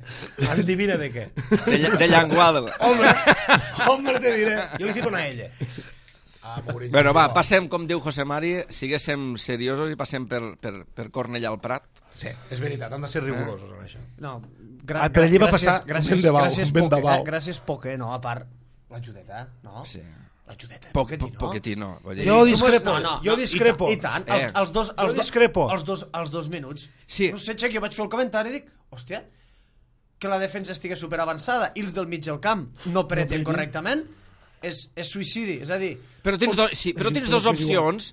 Endivina de què. De, lla- de llenguado. Home, home, te diré. Jo li fico una L. A Mourinho. Bueno, va, passem, com diu José Mari, siguéssim seriosos i passem per, per, per Cornellà al Prat. Sí, és veritat, han de ser rigorosos en això. No, gra Ah, per allí va gràcies, passar gràcies, ben de bau, gràcies ben de poque, bau. eh? Gràcies poque, no, a part l'ajudeta, no? Sí. L'ajudeta, Poc, poquetí, poc, no? poquetino. Vull dir. Jo discrepo, No, no, jo no, discrepo. I, ta- i tant, Eh. els, els, dos, els, Jo dos, discrepo. els, dos, els dos minuts. Sí. No sé, Xec, jo vaig fer el comentari i dic, hòstia, que la defensa estigui superavançada i els del mig del camp no preten correctament, és, és suïcidi, és a dir... Però tens, do, sí, però És tens igual, dues és igual. opcions.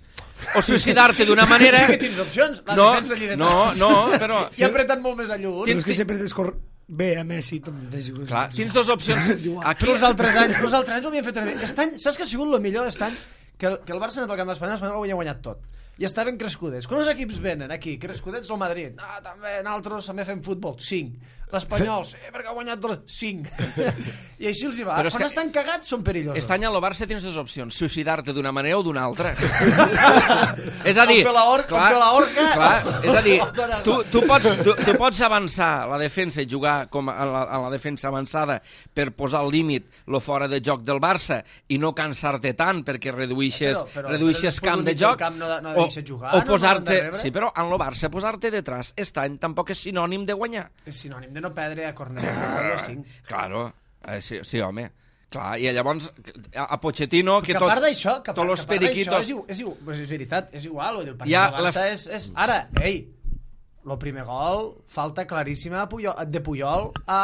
O suïcidar-te d'una manera... Sí que tens opcions, la no, defensa allí detrás. no, no, però... I apreten molt més a lluny. Però és que sempre descor... Bé, a Messi també és igual. Clar, tens dues opcions. És igual. Aquí, Però els altres anys, els altres anys ho havien fet una mica. Aquest any, saps que ha sigut el millor d'aquest any? Que el, que el Barça ha anat al camp d'Espanya, l'Espanyol ho havia guanyat tot. I estaven crescudets. Quan els equips venen aquí, crescudets el Madrid, ah, també nosaltres també fem futbol, cinc. L'Espanyol, sí, perquè ha guanyat dos, cinc. I així els hi va. Però és Quan que- estan cagats són perillosos. aquest any a lo Barça tens dues opcions. Suïcidar-te d'una manera o d'una altra. és a dir... O fer la or- o fer la orca, Clar, o- és a dir, o tallar-la. tu, tu, pots, tu, tu pots avançar la defensa i jugar com a la, a la defensa avançada per posar al límit lo fora de joc del Barça i no cansar-te tant perquè reduïxes, Però- però- reduïxes però camp després de del joc. camp no- no o, deixes jugar, o no? posar-te... No han de rebre. Sí, però en lo Barça posar-te detrás aquest any tampoc és sinònim de guanyar. És sinònim de no perdre a Cornellà o cinc. Claro, eh, sí, sí, home. Clar, i llavors a, a Pochettino... Que, Que a tots, part d'això, que a tots part, los que a part d'això periquitos... és, igu- és, igu- pues és veritat, és igual, vull dir, el partit Ja, del Barça la- és, és... Ara, ei, el primer gol, falta claríssima a Puyol, de Puyol a,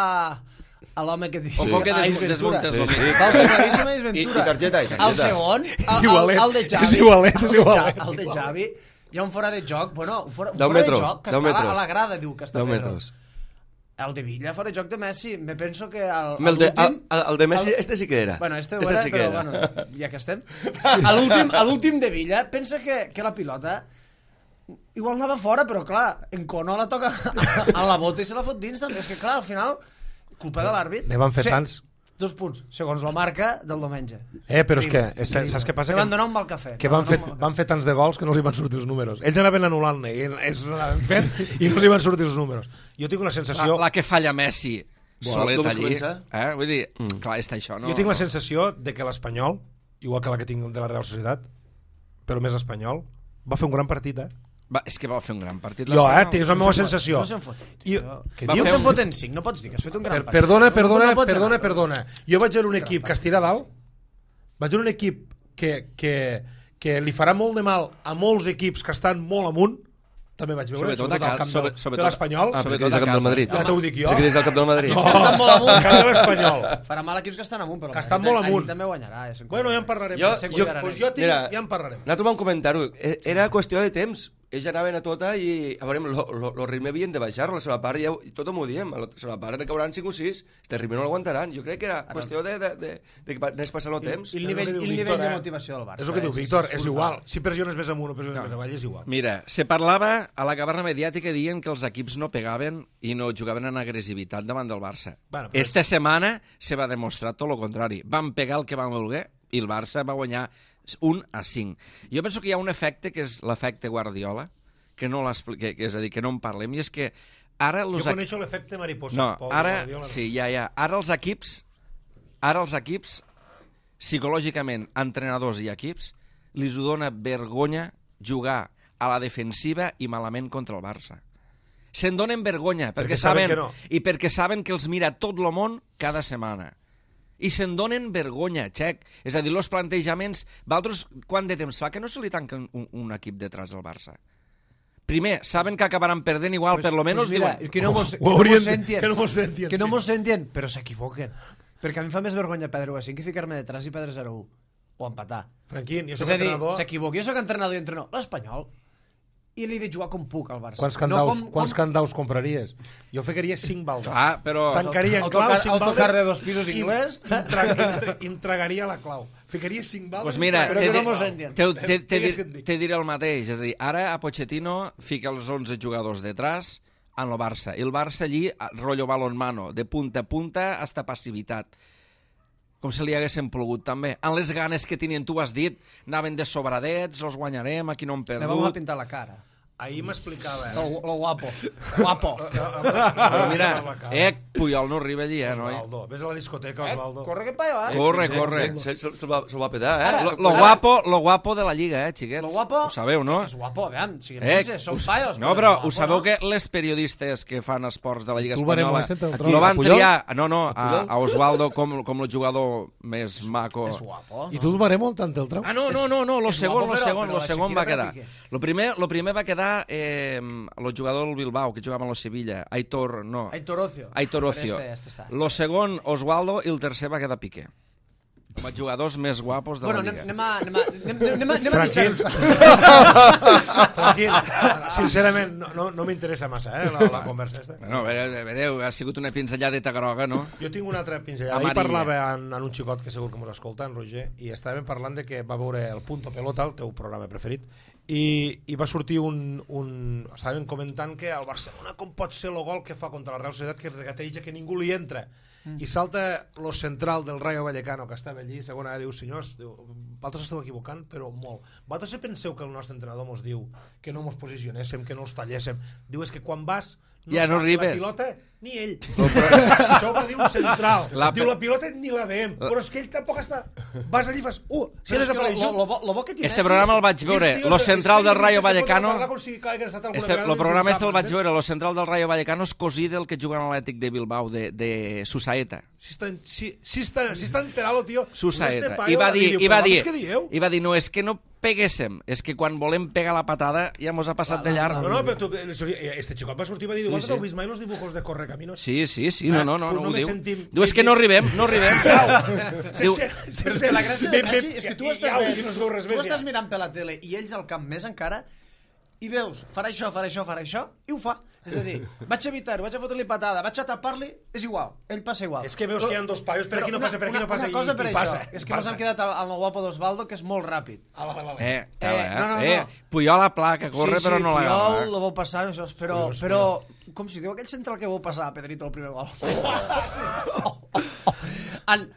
a l'home que diu... Ojo que a des- Ais Ventura. desmuntes lo Sí, sí. Falta claríssima a Ais I- Ventura. i targeta, i targeta. El segon, el, És el, igualet, el de Xavi, és igualet, és el de Ja- igualet. el de Xavi, hi ha un fora de joc, bueno, un fora, un Deu fora metres, de joc que deu està a la- a metres. la grada, diu que està deu Pedro. metres. El de Villa, fora de joc de Messi, me penso que el, El de, el, l'últim... el de Messi, el- este sí que era. Bueno, este ho este era, sí que però era. bueno, ja que estem. A l'últim, a l'últim de Villa, pensa que, que la pilota igual anava fora, però clar, en Cono la toca a la bota i se la fot dins també. És que clar, al final, culpa de l'àrbit. Ne van fer Sí, tants. Dos punts, segons la marca del diumenge. Eh, però és que, Increïble, és, saps què passa? Que Que, van donar un mal cafè. que van van, fer, donar un mal van fer tants de gols que no els hi van sortir els números. Ells anaven anul·lant-ne i ells anaven fent i no els hi van sortir els números. Jo tinc una La, sensació... la que falla Messi solet com es allí. comença? Eh? Vull dir, mm. clar, està això, no? Jo tinc la no. sensació de que l'Espanyol, igual que la que tinc de la Real Societat, però més espanyol, va fer un gran partit, eh? Va, és que va fer un gran partit. Jo, eh? l'Espanyol. És la meva sensació. No se'n foten. I- Jo- què Diu dius? que en foten cinc, no pots dir que has fet un gran Per, partit. perdona, No- perdona, no pots perdona, anar. perdona. Jo vaig veure un equip que es tira a dalt, vaig veure un equip que, que, que li farà molt de mal a molts equips que estan molt amunt, també vaig veure, Sobretot a al casa, camp sobre- del, sobretot- de l'Espanyol. Ah, Sobretot perquè és el a cap del casa. Madrid. Ja t'ho dic jo. Sí que és el cap del Madrid. Equips que estan molt Al amunt. camp de l'Espanyol. Farà mal equips que estan amunt, però Que estan allí- molt amunt. allí també guanyarà. Ja se'n Bueno, ja en cuidarà. parlarem. Jo- Se jo- cuidarà, Pues nen. jo tinc, Mira, ja en parlarem. Nosaltres vam comentar-ho. E- Era qüestió de temps. Ells anaven a tota i, a veure, el ritme havien de baixar-lo. La segona part, ja, ho- tothom ho diem, a la segona part en cauran cinc o sis, este ritme no l'aguantaran. Jo crec que era qüestió de, de, de, de que anés passant el temps. I el És nivell, el que diu i el Víctor, nivell de eh? motivació del Barça. És el que diu eh? Víctor, Sí, és sí, igual. Si pressiones més amunt o pressiones No. més avall, és igual. Mira, se parlava a la caverna mediàtica dient que els equips no pegaven i no jugaven en agressivitat davant del Barça. Bueno, però Esta setmana se va demostrar tot el contrari. Van pegar el que van voler i el Barça va guanyar un a cinc. Jo penso que hi ha un efecte que és l'efecte Guardiola, que no l'explique, que és a dir, que no en parlem, i és que ara... Jo Els coneixo l'efecte mariposa. No, Pol ara, Guardiola. sí, ja, ja. Ara els equips, ara els equips, psicològicament, entrenadors i equips, li dona vergonya jugar a la defensiva i malament contra el Barça. Se'n donen vergonya, perquè, Perquè saben saben, que no. i perquè saben que els mira tot el món cada setmana. I se'n donen vergonya, Xec. És a dir, els plantejaments... Valtros, quant de temps fa que no se li tanca un, un equip detrás del Barça? primer, saben que acabaran perdent igual, per lo menos pues mira, diuen... que no mos, que Ho no haurien- mos sentien, que no mos sentien, que no sí. mos sentien, però s'equivoquen. Perquè a mi em fa més vergonya perdre u a cinc que ficar-me detrás i perdre zero a u. O empatar. Franquín, jo És soc a dir, entrenador... s'equivoca. Jo soc entrenador i entrenador. L'Espanyol. I li he de jugar com puc al Barça. Quants candaus, com, quants com... candaus compraries? Jo ficaria cinc baldes. Ah, però... Tancaria en clau Autocar- cinc baldes... autocar de dos pisos i- inglès. i Intra, intra, entregaria la clau. Ficaria cinc baldes... Pues mira, Però te, que no di- mos senten. te, te, te, Digues te, què et dic. te diré el mateix. És a dir, ara a Pochettino fica els onze jugadors detrás en el Barça. I el Barça allí, rotllo balonmano, de punta a punta, hasta passivitat. Com si li haguessin plogut, també. En les ganes que tenien, tu has dit, anaven de sobradets, els guanyarem, aquí no hem Le vamos a perdut. pintar la cara. Ahir m'explicava... Lo, lo guapo. Guapo. Però mira, eh, Puyol no arriba allí, eh, noi? Osvaldo, vés a la discoteca, Eh, Osvaldo. corre que pa allà, eh? Corre, Sí, sí, corre. sí, sí, Se'l se va, se va pedar, eh? Ara, Lo, lo, guapo, lo guapo de la Lliga, eh, xiquets? Lo guapo... Ho sabeu, no? És guapo, vean, siguem Eh, sense, som us- paios. no, però ho sabeu que les periodistes que fan esports de la Lliga Tu el barem Espanyola este, te'l trobo. lo van A Puyol? triar, no, no, a, Puyol? a Osvaldo com, com el jugador més maco. És guapo. I tu el barem el tant el trau? Ah, no, no, no, no, lo és segon, guapo, lo però- segon, però lo la segon Shakira va quedar. per Piqué. Lo primer, lo primer va quedar eh, el jugador del Bilbao, que jugava amb el Sevilla, Aitor, no, Aitor Ocio. Aitor Ocio. Però este, este, este, Lo segon, Osvaldo, i el tercer va quedar Piqué. Com a jugadors més guapos de Bueno, la anem, Lliga. anem a... Anem a, anem, anem a, anem a Franquín. deixar-nos. Franquín, sincerament, no, no, no m'interessa massa, eh, la, la conversa esta. Bueno, a veure, a veure, ha sigut una pinzelladeta groga, no? Jo tinc una altra pinzellada. Ahir Amarilla. parlava en, en un xicot que segur que mos escolta, en Roger, i estàvem parlant de que va veure el Punto Pelota, el teu programa preferit, i, i va sortir un, un... Estàvem comentant que el Barcelona com pot ser el gol que fa contra la Real Societat, que regateja, que ningú li entra. Mm. I salta lo central del Rayo Vallecano, que estava allí, segona, diu, senyors, diu, vosaltres esteu equivocant, però molt. Vosaltres penseu que el nostre entrenador mos diu que no mos posicionéssim, que no els talléssim. Diu, és que quan vas... No Ja no fa arribes. La pilota, ni ell. Això ho va dir un central. La- Diu, la pilota ni la veiem. Però és que ell tampoc està... Vas allí i fas... Uh, si Però és que desapareix lo, lo, lo, lo bo que té Este Messi programa és- el vaig veure, lo central del Rayo Vallecano... Este, el programa este el vaig veure, lo central del Rayo Vallecano és cosí del que juga en l'Atlètic de Bilbao, de, de Susaeta. Si està, si, si està, si està enterado, tio... Susaeta. Este I va dir, i va dir, Què dieu? i va dir, no, és que no peguéssim, és que quan volem pegar la patada ja mos ha passat de llarg. No, no, però tu, este xicot va sortir i va dir, Sí, vosaltres sí. heu vist mai els dibujos de Correcaminos? Sí, sí, sí, no, no, no, Pues no ho només diu. sentim- Diu, és que no arribem, no arribem. Diu, Però és que la gràcia de Messi és que tu estàs, Iau, veient, i no es veu res tu més, estàs ja. mirant per la tele i ells al camp més encara i veus, farà això, farà això, farà això i ho fa. És a dir, vaig a evitar-ho, vaig a fotre-li patada, vaig a tapar-li, és igual, ell passa igual. És que veus que hi ha dos paios, per aquí no Però passa, per aquí una- no passa, una cosa i, per i això, passa. és que mos hem quedat al, al guapo d'Osvaldo, que és molt ràpid. Ah, vale, vale. eh, tela, eh, no, no, eh, no. Puyol a pla, que corre, sí, però sí, no la Puyol, gana. lo vau passar, això, però, Puyol, però, com si diu aquell central que vau passar a Pedrito el primer gol. Oh, oh, oh. En,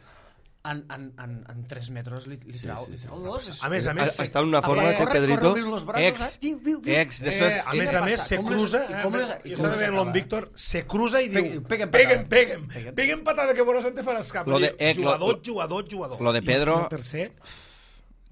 en, en, en, en tres metres li, li trau, sí, li sí. trau dos. És... A més, a més, Està en una forma, Corre, Che corre, Pedrito... corre, obrint los braços, Ex, eh? Viu, viu, viu. ex, després... Eh, a Què més li a ha més, passat? se Com les- cruza, i com les- eh, i jo com estava les veient acaba? l'on Víctor, se cruza i diu, Peguen- peguen peguen, patada. peguen, Peguen. peguen patada que bona sant te faràs cap. Lo de- eh, Jugador, lo- jugador, jugador. Lo de Pedro, El tercer,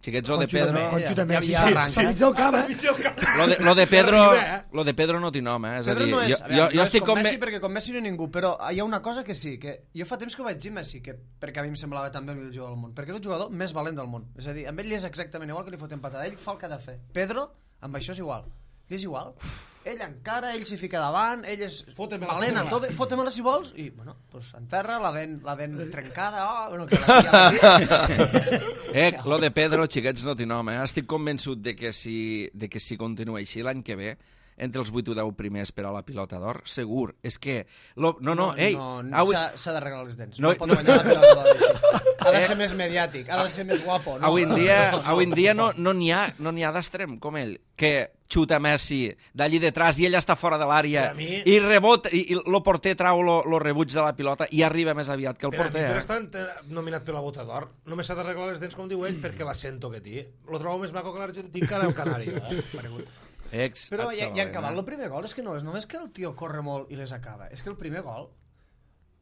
xiquets, lo de Conxo també, Pedro... Conxo Ja, també, ja- sí, ja sí, arranca. sí, mig del camp, eh? Mig del camp. Lo de, lo de Pedro, Arriba, eh? lo de Pedro no té nom, eh? És a Pedro dir, no és, jo, a veure, jo, no jo és estic com com... Messi, perquè com Messi no hi ha ningú, però hi ha una cosa que sí, que jo fa temps que ho vaig dir Messi, que, perquè a mi em semblava també el millor jugador del món, perquè és el jugador més valent del món, és a dir, amb ell li és exactament igual que li foten patada, ell fa el que ha de fer. Pedro, amb això és igual, li és igual. Ell encara, ell s'hi fica davant, ell és Fotem-me-la, valent a fotem-me-la. tope, fotem-la si vols, i, bueno, pues enterra, la dent, la dent trencada, oh, bueno, que la, ja la Eh, lo de Pedro, xiquets, no té nom, eh? Estic convençut de que si, de que si continua així l'any que ve, entre els vuit o deu primers per a la pilota d'or, segur. És que... Lo, no, no, ei... no, au- s'ha s'ha d'arreglar les dents, No, no, pot no. guanyar la pilota d'or així. Ha de Eh. ser més mediàtic, ha de ser més guapo, no? Avui en dia, avui en dia no no n'hi ha, no n'hi ha d'extrem com ell, que xuta Messi d'allí detrás i ell està fora de l'àrea Per a mi- i rebota, i, i el porter trau lo, lo rebuig de la pilota i arriba més aviat que el Per a mi, porter. per Eh? estar ent- nominat per la bota d'or, només s'ha d'arreglar les dents, com diu ell, perquè l'accento que té. Lo trobo més maco que l'argentí que el canari. Eh? Ex, Però ja, ja en acabat, Barcelona. el primer gol és que no és només que el tio corre molt i les acaba, és que el primer gol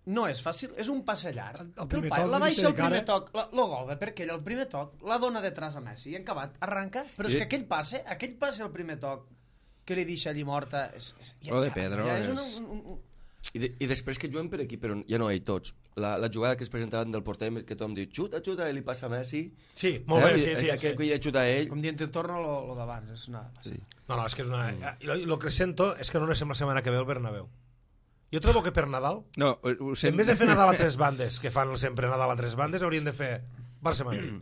no és fàcil, és un passe llarg. El- el El primer pai toc, la l'inici baixa de el primer cara. toc, la, lo gol, perquè ell el primer toc la dona detrás a Messi i en acabat arranca, però és I- que aquell passe, aquell passe al primer toc que li deixa allí morta és, és, Lo de Pedro ja és, és- una, un, un, I, de, I després que juguen per equip, però ja no ell tots. La, la jugada que es presentaven del porter, que tothom diu, xuta, xuta, i li passa a Messi. Sí, molt bé, eh? sí, sí. Que, sí. que ella xuta a ell. Com dient, te torna lo, lo d'abans. És una... Sí. No, no, és que és una... I lo, i lo que sento és que no anem la setmana que ve al Bernabéu. Jo trobo que per Nadal, No, ho en vez de fer Nadal a tres bandes, que fan sempre Nadal a tres bandes, haurien de fer Barça-Madrid.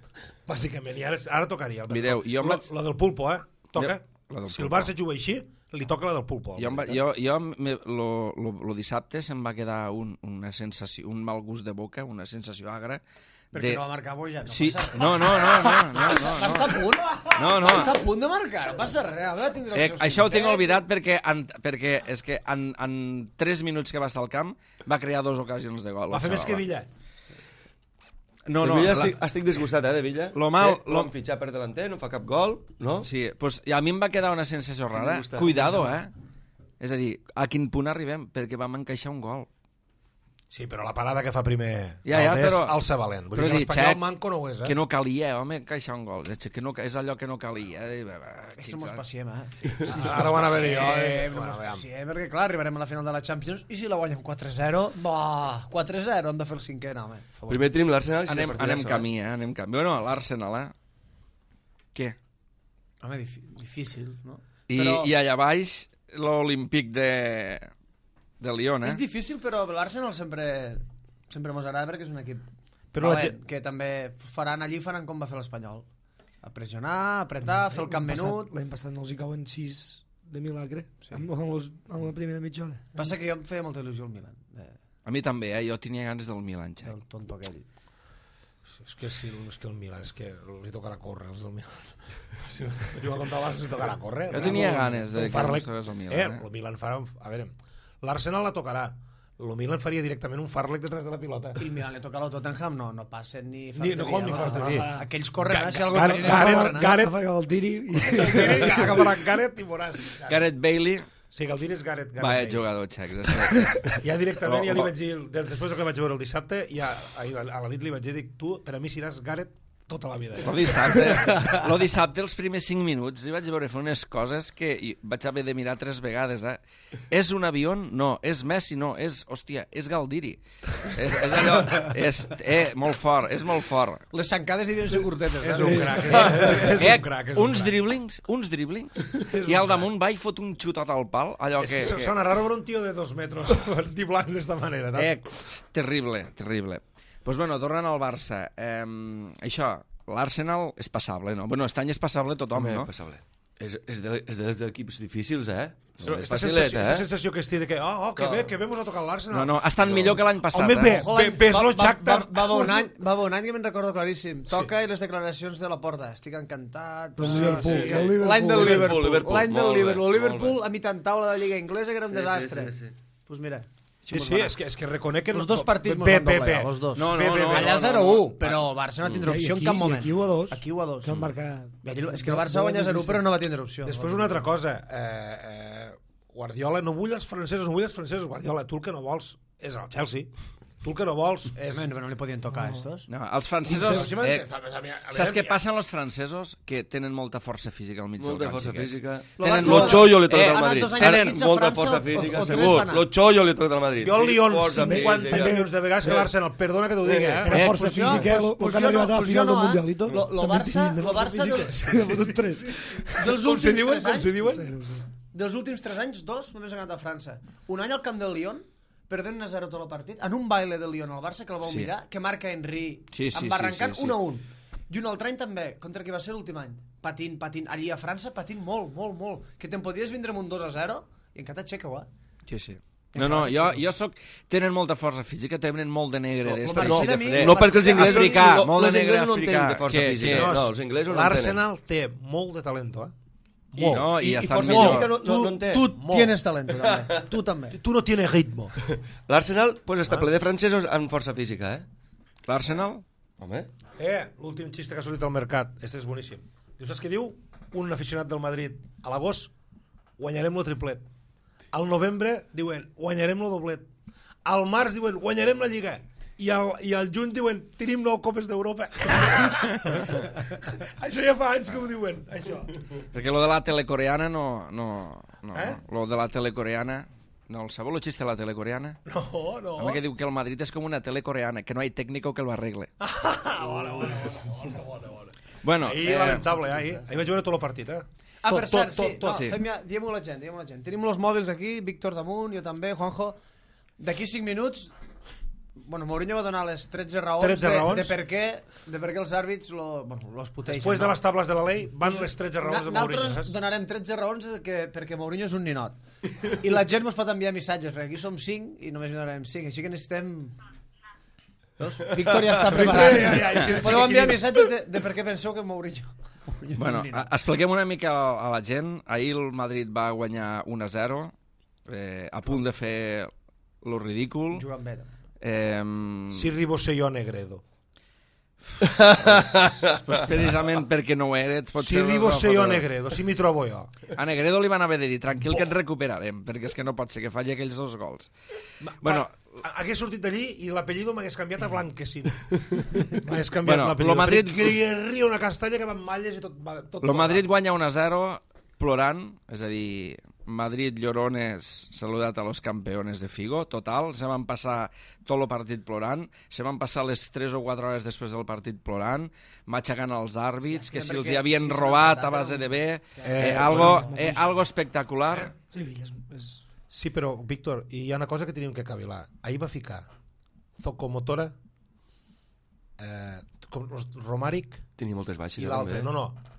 Bàsicament, i ara, ara tocaria el Mireu, jo em Lo, vaig- lo del pulpo, eh? Toca. La del Si el pulpo. Barça juga així, li toca la del pulpo. Jo, em va, jo, jo me, lo, lo, lo dissabte se'm va quedar un, una sensació, un mal gust de boca, una sensació agra. Perquè de... no va marcar Boja, no Sí, passa res. no, no, no, no, no, no, Va estar a punt? no, no. Va estar a punt de marcar, no passa res. A veure, tindrà Eh, els seus això ho tinc puntets. oblidat perquè, en, perquè és que en, en tres minuts que va estar al camp va crear dues ocasions de gol. Va fer més que Villa. No, de no, Villa la- estic, estic disgustat, eh, de Villa. Lo mal- Que lo- L'han fitxat per delanter, no fa cap gol, no? Sí, pues, i a mi em va quedar una sensació rara. gusta. Cuidado, eh? És a dir, a quin punt arribem? Perquè vam encaixar un gol. Sí, però la parada que fa primer Ja, ja, Valdés, però- alça valent. Vull però dir que dic, l'Espanyol xec, manco no ho és, eh? Que no calia, home, encaixar un gol. És, que no, és allò que no calia. Eh? Això mos paciem, eh? Sí, Ara ho van a veure jo. Sí, eh? no Bueno, mos aviam. paciem, perquè clar, arribarem a la final de la Champions i si la guanyem quatre zero, bah, quatre zero, hem de fer el cinquè, no, home. per favor. Primer tenim l'Arsenal. Anem, anem camí, eh? Anem camí. Bueno, l'Arsenal, eh? Què? Home, difí- difícil, no? I, Però- I allà baix, l'Olímpic de, de Lyon, eh? És difícil, però l'Arsenal sempre sempre mos agrada perquè és un equip Però la valent, gent- que també faran allí faran com va fer l'Espanyol. A pressionar, apretar, fer el camp L'any passat- menut. L'any passat no els hi cauen sis de milagre, sí. amb, amb, los, amb la primera mitja hora. Passa que jo em feia molta il·lusió el Milan, de, A mi també, eh? Jo tenia ganes del Milan, xec. del tonto aquell. És que sí, és que el Milan, és que els hi tocarà córrer, els del Milan. Si jo a contar abans, els hi tocarà córrer. Jo tenia Bravo, ganes de un que Farlek. ens toqués el Milan, Eh, eh? el Milan farà... un- A veure, l'Arsenal la tocarà. El Milan faria directament un Farlek detrás de la pilota. I el Milan li toca al Tottenham, no, no passen ni Ni- no com ni falta de via. Aquells corren, Ga- eh? Si algú Gareth- tira, Gareth- corren, eh? Gareth- Agafa el tiri i... Agafarà Gareth i veuràs. Gareth Bailey, Sí, que el dir és Gareth. Gareth va, Bale. jugador, xec. És que... Ja directament, ja li Oh, oh. vaig dir, des- després que vaig veure el dissabte, ja ahir a la nit li vaig dir, dic, tu, per a mi seràs Gareth tota la vida. Lo dissabte, lo dissabte, els primers cinc minuts, li vaig veure fer unes coses que i vaig haver de mirar tres vegades, eh? És un avió? No. És Messi? No. És, hòstia, és Galdiri. És, és allò... És, eh, molt fort, és molt fort. Les xancades devien ser curtetes. És eh? un crac, eh? és Eh, un crac. És un uns crac. driblings, uns driblings, i al damunt va i fot un xutot al pal, allò És que... que, que sona raro ver un tío de dos metros driblant d'esta manera. ¿no? eh, terrible, terrible. Pues bueno, tornant al Barça, eh, això, l'Arsenal és passable, no? Bueno, este any és passable tothom, Home, no? passable. És, és, de, és dels equips difícils, eh? Però No és esta facilet, sensació, esta eh? sensació que estic de que, oh, oh que bé, que bé mos ha tocat l'Arsenal. No, no, ha estat millor que l'any passat, Home, bé, eh? Ojo, bé, l'any- ves va- lo va- Shakhtar. Va, va, haver un any, va haver un any que me'n recordo claríssim. Toca i les declaracions de la porta. Estic encantat. Del Liverpool, Sí, del Liverpool. L'any del Liverpool, Liverpool. Liverpool, L'any del molt bé, Liverpool. molt Liverpool bé. a mitjan taula de la Lliga Inglesa, que era un Sí, sí, desastre. sí, sí. Pues mira. Sí, sí, és que, és que reconec que... Els dos partits mos bé, van bé, doblegar, bé. els dos. No, no, Bé, bé, no, bé. Allà no, zero no. u, però el Barça no va tindre I opció en aquí- cap i moment. aquí u a dos. Aquí u a dos. Que van marcar... És que el Barça guanya zero u, però no va tindre opció. Després una altra cosa. Eh, eh, Guardiola, no vull els francesos, no vull els francesos. Guardiola, tu el que no vols és el Chelsea. Tu el que no vols és... Home, no li podien tocar a estos. No, els francesos... Però si m'han- Eh, a veure, a veure, saps què ja- passa amb els francesos? Que tenen molta força física al mig Molta del camp. força xiquets. física. Tenen Lo molta- chollo li toca Eh, al ha anat Madrid. dos anys Tenen seguits a molta França, força o- física, o tres segur. van anar. Lo chollo li toca al Madrid. Jo al Sí, Lyon força cinquanta física. milions de vegades que l'Arsenal. Perdona que t'ho digui, eh? Era Eh, força fusió, física, fus- el que fusió han arribat no, a la fusió final del no, eh? Mundialito. Lo- lo també Barça- tenien de lo força Barça del- física. N'ha fotut tres. Dels Com se últims diuen? tres Com se anys, diuen? No sé, no sé. dels últims tres anys, dos només han anat a França. Un any al camp del Lyon, perdent un a zero tot el partit, en un baile del Lyon al Barça, que el vau Sí. mirar, que marca Henry, Sí, sí, embarrancant sí, sí, sí. un a un. I un altre any també, contra qui va ser l'últim any. Patint, patint. Allí a França patint molt, molt, molt. Que te'n podies vindre amb un dos a zero i encara t'aixeca-ho, eh? Sí, sí. No, no, jo, jo soc... Tenen molta força física, tenen molt de negre. No, d'esta, no, de- no, de mi- fred. No, perquè els inglesos, Africà, no, molt de els negre inglesos no en tenen africà, de força que- física. que- No, els inglesos no en tenen. L'Arsenal té molt de talento, eh? I, no, i, I- i estan força millor. física no, no, no en té. Tu Molt. tienes talento, també. Tu també. Tu no tienes ritmo. L'Arsenal pues, està ple de francesos amb força física, eh? L'Arsenal? Home, Eh, l'últim xiste que ha sortit al mercat. Este és boníssim. Diu, saps què diu? Un aficionat del Madrid. A l'agost guanyarem lo triplet. Al novembre diuen guanyarem lo doblet. Al març diuen guanyarem la Lliga. I al, i al juny diuen tenim nou copes d'Europa. Això ja fa anys que ho diuen, això. Perquè lo de la telecoreana no... no, no Eh? Lo de la telecoreana No, el sabeu el xiste de la tele coreana? No, no. Home, que diu que el Madrid és com una tele coreana, que no hay técnico que lo arregle. Ah, bona, bona, bona, bona, bona. Bueno, Ahir, eh, lamentable, eh? Ahir, ahir vaig veure tot el partit, eh? Ah, tot, per cert, tot, sí, tot, tot. no, sí. fem ja, diguem-ho a la gent, diguem-ho a la gent. Tenim els mòbils aquí, Víctor damunt, jo també, Juanjo. D'aquí cinc minuts, bueno, Mourinho va donar les tretze raons, tretze de, raons. de, per què, de per què els àrbits lo, bueno, los puteixen. Després de no? les tables de la llei, van les tretze raons de Mourinho, Nosaltres saps? donarem tretze raons que, perquè Mourinho és un ninot. I la gent ens pot enviar missatges, perquè aquí som cinc i només donarem cinc, així que necessitem... Veus? Víctor ja està preparat. Ja, ja, ja, ja, Podeu enviar ja. missatges de, de per què penseu que Mourinho... Mourinho bueno, és un ninot. a- expliquem una mica a, a la gent. Ahir el Madrid va guanyar un a zero, eh, a punt de fer lo ridícul. Jugant bé. Eh, Si ribose jo Negredo. pues precisament perquè no ho eres. Si ribose jo Negredo, si m'hi trobo jo. A Negredo li van haver de dir, tranquil que et recuperarem, perquè és que no pot ser que falli aquells dos gols. Bueno, Va, hagués sortit d'allí i l'apellido m'hagués canviat a Blanquecino. M'hagués canviat Bueno, l'apellido. lo Madrid- Perquè li ria una castanya que va amb malles i tot... Va, tot el Madrid guanya un a zero plorant, és a dir, Madrid llorones saludat a los campeones de Figo, total, se van passar tot el partit plorant, se van passar les tres o quatre hores després del partit plorant, matxacant els àrbits, Sí, que si els perquè- hi havien sí, s'han robat empatat, a base de bé, Eh, eh, algo, bueno, eh, algo espectacular. Sevilla és, és... Sí, però, Víctor, hi ha una cosa que tenim que cavilar. Ahir va ficar Zocomotora, eh, com, Romàric Tenia moltes baixes. i eh, l'altre. també. No, no.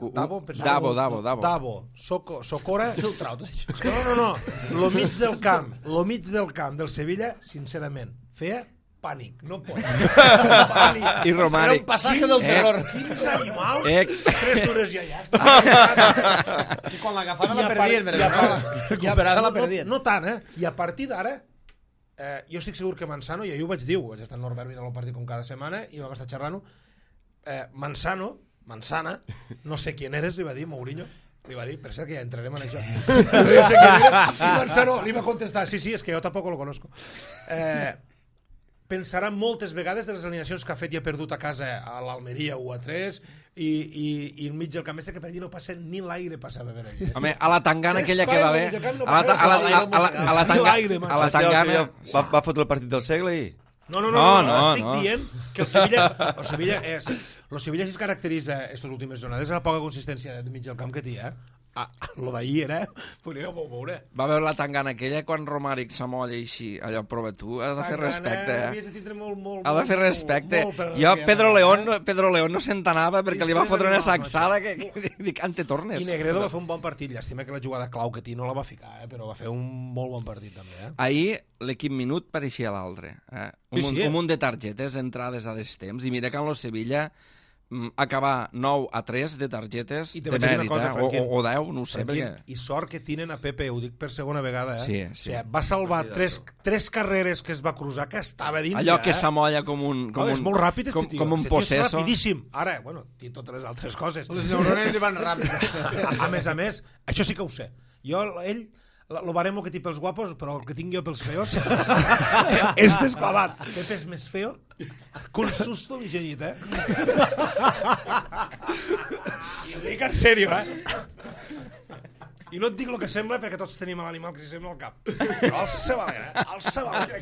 U- Davo, penso- Davo, Davo, Davo. Davo, Soco, Socora... Tu ho trau, tot això. No, no, no. Lo mig del camp, lo mig del camp del Sevilla, sincerament, feia pànic, no pot. Pànic. I Era Romàric. un passatge del Eh. terror. Quins animals, Eh. tres dures ja ja. està. I quan l'agafaven I la a perdien, par- però i a par- la recuperada la no, perdien. no, no tant, eh? I a partir d'ara, eh, jo estic segur que Manzano, i ahir ho vaig dir, vaig estar en Norbert mirant el partit com cada setmana, i vam estar xerrant-ho, eh, Manzano, Manzana, no sé quién eres, li va dir Mourinho, li va dir, per cert que ja entrarem en això. No sé quién eres, i Manzano li va contestar, sí, sí, es que jo tampoc lo conozco. Eh, pensarà moltes vegades de les alineacions que ha fet i ha perdut a casa a l'Almeria u a tres i, i, i enmig del camp este que per allí no passa ni l'aire passava per allí. Home, a la tangana aquella que va haver... Espai, no A la, ta- a la, a la, a la, a la, tanga- L'aire, a la O sigui, el tangana... Sevilla va, va fotre el partit del segle i... No, no, no, No, no, no, no, estic no. dient que el Sevilla, el Sevilla, eh, el Sevilla si es caracteritza aquestes últimes jornades la poca consistència de mig del camp que té, eh? Ah, lo d'ahir era... Podríeu veure. Va veure la tangana aquella quan Romàric s'amolla així, allò, prova tu, has de fer respecte, Havies eh? de tindre molt, molt, Ha de fer molt, respecte. molt per Jo, que- Pedro León, eh? no- Pedro León no s'entenava perquè li va Després fotre una d'arribar al sacsada Barça. que, que dic, ante tornes. I Negredo va fer un bon partit. Llàstima que la jugada clau que té no la va ficar, eh? Però va fer un molt bon partit també, eh? Ahir l'equip minut pareixia l'altre. Eh? Un, Sí, munt, sí, eh? un munt de targetes, entrades a destemps, i mira que en lo Sevilla mm, acabar nou a tres de targetes I te de vaig dir una mèrit, cosa, eh? o, Franquín. o, o deu, no ho sé, Franquín, perquè... I sort que tenen a Pepe, ho dic per segona vegada, eh? Sí, sí. O sigui, va salvar tres, tres carreres que es va cruzar que estava dins Allò ja, que eh? s'amolla com un... Com No, un és molt ràpid, este com, tio. com un Este tio és possesso. rapidíssim. Ara, bueno, té totes les altres coses. Les neurones li van ràpid. A, a més a més, això sí que ho sé. Jo, ell, la- lo baremo que té pels guapos, però el que tinc jo pels feos és desclavat. Pepe és més feo que un susto vigenit, eh? I ho dic en sèrio, eh? I no et dic el que sembla perquè tots tenim l'animal que s'hi sembla al cap. Però el seu alegre, eh? El seu alegre.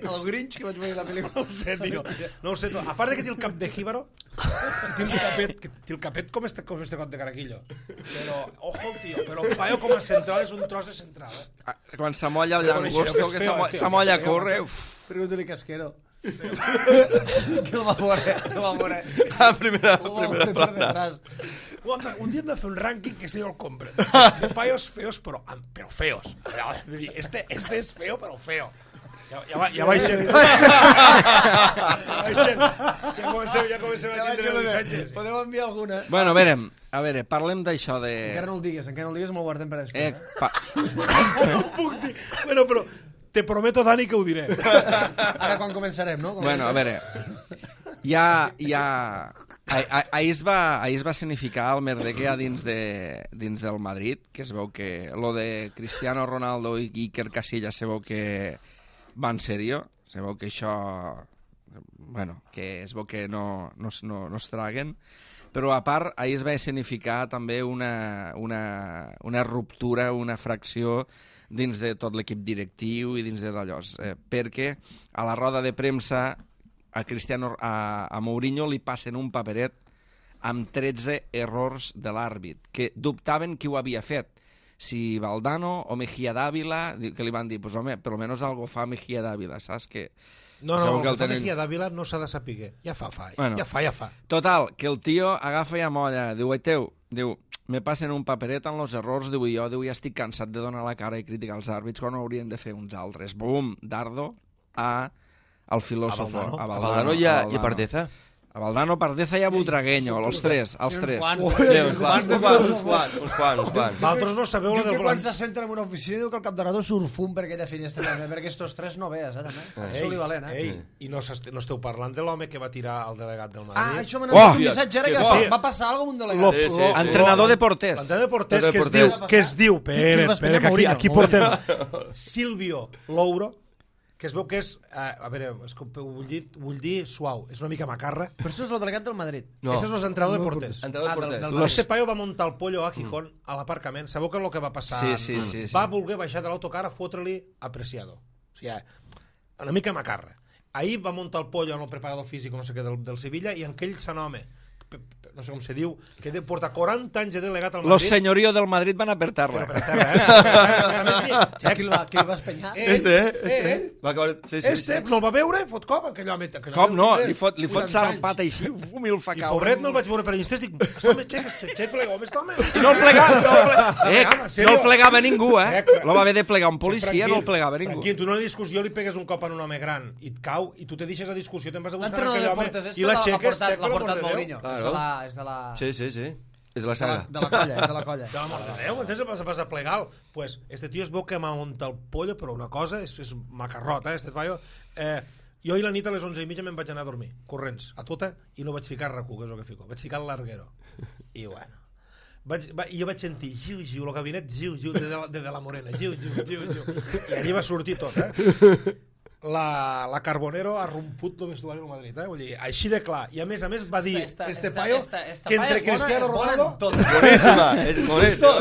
El Grinch que vaig veure la pel·lícula. No ho sé, tio. No ho sé, tio. A part de que té el cap de jíbaro, té el capet, que té el capet com este, com este cot de caraquillo. Però, ojo, tio, però el paio com a central és un tros de central, eh? Ah, Quan s'amolla el Però coneixereu llangosto, que que és feo, s'amo- tio, s'amolla que a és feo, córrer... macho. uf. Pregunta-li Casquero. Que el va veure, el va veure. A primera, El va primera veure per plana. detrás. Un dia- Un dia hem de fer un rànquing que se jo el compre. De paios feos, però, però feos. Este, este és feo, però feo. Ja, ja, va, ja baixem. Ja baixem. Ja comencem, ja comencem a tindre missatges. Podeu enviar alguna? Bueno, a veure, a veure, parlem d'això de... Encara no el digues, encara no el digues, me'l guardem per Eh, després. pa... No ho puc dir. Bueno, però te prometo, Dani, que ho diré. Ara quan començarem, no? Quan Bueno, a veure, ja... ja... Ahir, ah- ahir, es va, ahir es va significar el merder que hi ha dins, de, dins del Madrid, que es veu que lo de Cristiano Ronaldo i Iker Casillas se veu que va en sèrio, se veu que això... Bueno, que es veu que no, no, es- no, no es traguen, però a part ahir es va significar també una, una, una ruptura, una fracció dins de tot l'equip directiu i dins de d'allò. Eh, perquè a la roda de premsa a Cristiano, a, a Mourinho li passen un paperet amb tretze errors de l'àrbit, que dubtaven qui ho havia fet. Si Valdano o Mejía Dávila, que li van dir, pues home, per almenys algo fa Mejía Dávila, saps? Que no, no, el que, que el fa tenen... Mejía Dávila no s'ha de saber. Ja fa, fa, bueno, ja fa, ja fa. Total, que el tio agafa i amolla, diu, teu, diu, me passen un paperet amb els errors, diu, jo diu, ja estic cansat de donar la cara i criticar els àrbits quan ho haurien de fer uns altres. Bum, dardo, a, al filòsofo. A Valdano, a Valdano i a, i a Pardeza. A Valdano, Pardeza i a Butragueño, els tres, els tres. Uns Uns quants, uns quants, uns quants, uns quants, uns quants. Vosaltres no sabeu la Diu del que quan plan... se senten en una oficina diu que el cap de rato surt fum per aquella finestra, també, perquè estos tres no vees, eh, també. És polivalent, eh? Ei, i no, no esteu parlant de l'home que va tirar el delegat del Ah, Madrid? això m'ha Oh! anat un missatge ara que Que va, sí. va passar alguna cosa amb un Lo- delegat. Sí, sí, sí. Entrenador de porters. L'entrenador de porters que es Porters. diu, que es diu, Qui pere, va pere, espenyar? que aquí, Mourinho. aquí portem Silvio Louro, que es veu que és, eh, a veure, és que ho vull dir, vull dir suau, és una mica macarra. Però això és el delegat del Madrid. No. Este és l'entrenador de porters. Entrenador Ah, de del- porters. del- Los- Este paio va muntar el pollo a Gijón a l'aparcament. Sabeu què és el que va passar? Sí, sí, sí, sí. Va voler baixar de l'autocar a fotre-li apreciado. O sigui, una mica macarra. Ahir va muntar el pollo en el preparador físic, no sé què, del, del Sevilla, i en aquell sant home, no sé com se diu, que de porta quaranta anys de delegat al Madrid. Los señorío del Madrid van a per terra. Però per terra, eh? A més, Qui el va, qui el va espenyar? Eh, Este, eh? eh, Este. Va acabar... Sí, sí, Este sí. no el va veure i fot cop aquell home. Aquell Com home no? tindrà Li fot, li fot vuitanta anys. sarpat així, uf, i el fa I caure. pobret me'l vaig veure per Insta i dic, este home, xec, este xec plega, home, este home. I no el plegava, no el plegava, eh, Home, en no sèrio? el plegava ningú, eh? Eh, Lo va haver de plegar un policia, no el plegava ningú. Tranquil, tu en una discussió li pegues un cop a un home gran i et cau i tu te deixes la discussió, te'n vas a buscar L'entrenador aquell de home porters, i la l'ha xeques, portat, xec, l'ha per portat l'amor de Déu. Mourinho. És Claro. de la... És de la... Sí, sí, sí. És de la De la, saga. de la colla, és de la colla. Per l'amor de Déu, entens? Vas a passar plegal. Pues este tio es veu que m'ha muntat el pollo, però una cosa és, és macarrot, eh, este paio. Eh, jo ahir la nit a les onze i mitja me'n vaig anar a dormir, corrents, a tota, i no vaig ficar R Q, que és el que fico. Vaig ficar el larguero. I bueno... Vaig, va, i jo vaig sentir giu, giu, el gabinet giu, giu, de, de, la, de, de la Morena, giu, giu, giu, giu. I allí va sortir tot, eh? La, la Carbonero ha romput el vestuari del Madrid, eh? Vull dir, així de clar. I a més a més va dir Esta- este esta- paio esta- esta que paia entre és bona- Cristiano és bona en Ronaldo... tot. Boníssima, és boníssima.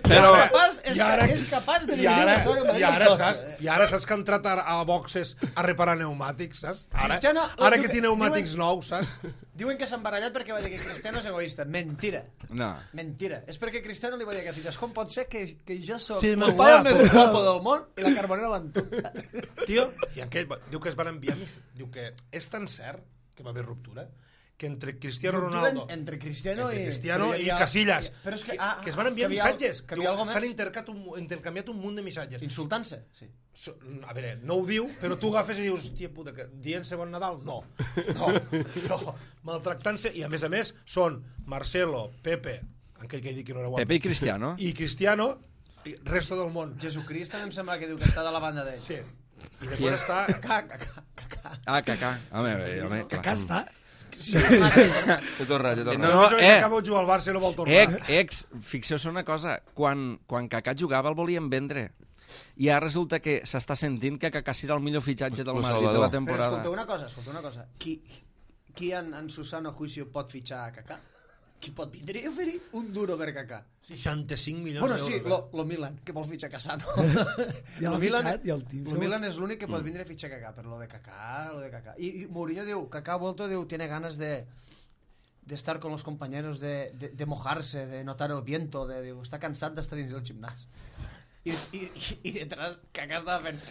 Però- és capaç, és, I ara- és capaç de I dividir ara, la història del i Madrid ara, en tot. saps, I ara saps que ha entrat a, a boxes a reparar pneumàtics, saps? Ara, Cristiano, ara diu que que- té pneumàtics diuen- nous, saps? Diuen que s'ha embarallat perquè va dir que Cristiano és egoista. Mentira. No. Mentira. És perquè Cristiano li va dir a Casillas, com pot ser que, que jo soc Sí, el molt paio guapo. més guapo del món i la Carbonera van tu? Tio, i aquell, va- diu que es van enviar mis, diu que és tan cert que va haver ruptura que entre Cristiano Ronaldo Entre Cristiano entre i... Cristiano però hi i havia- Casillas Però és que, que, ah, que es van enviar que havia- missatges. que Diu, havia algo s'han més? intercat un, intercanviat un munt de missatges. Insultant-se, sí. So- A veure, no ho diu, però tu agafes i dius, hòstia puta, que dient-se bon Nadal? No, no, no. Maltractant-se, i a més a més són Marcelo, Pepe, aquell que he dit que no era guapo, Pepe i Cristiano. i Cristiano, i resto del món. Jesucrist també em sembla que diu que està de la banda d'ell. Sí. I després està... Cacà, cacà, cacà. Ah, cacà. Home, home, clar. Acá està. Sí, clar, T'he tornat, t'he No, tornat. no, No, eh. acaba de jugar al Barça i no vol tornar. Ex, ex, fixeu-se una cosa, quan, quan Kaká jugava el volien vendre. I ara resulta que s'està sentint que Kaká serà el millor fitxatge del Lo Madrid de Salvador. la Però temporada. escolta una cosa, escolta una cosa. Qui, qui en, en su sano juicio pot fitxar a Kaká? Qui pot vindre i oferir un duro per Kaká? seixanta-cinc milions Bueno, d'euros. sí, eh? lo, lo Milan, que vol fitxar Casano. Ja l'ha Lo Milan- fitxat, ja el team. Lo Milan és l'únic que pot vindre a fitxar Kaká, però lo de Kaká, lo de Kaká. I, i Mourinho diu, Kaká ha vuelto, diu, tiene ganas de de estar con los compañeros, de, de, de mojarse, de notar el viento, de, diu, està cansat d'estar dins del gimnàs. I, i, i, i detrás Kaká estava fent...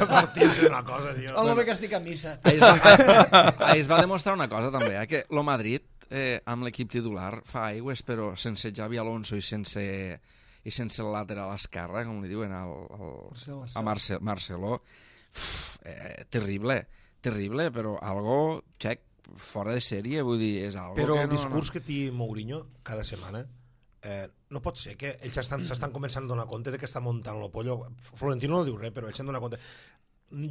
Partir-se una cosa, tio. Oh, lo bé que estic a missa. Ahir es, va, ahir es va demostrar una cosa també, eh? Que lo Madrid eh, amb l'equip titular fa aigües, però sense Xavi Alonso i sense i sense el lateral esquerre, com li diuen al, al, Marcelo. a Marce, Marcelo, uf, eh, terrible, terrible, però algo, xec, fora de sèrie, vull dir, és algo Però que el no, discurs no. que té Mourinho cada setmana eh, no pot ser que ells estan- s'estan començant a donar compte de que està muntant el pollo. Florentino no diu res, però ells s'han donat compte.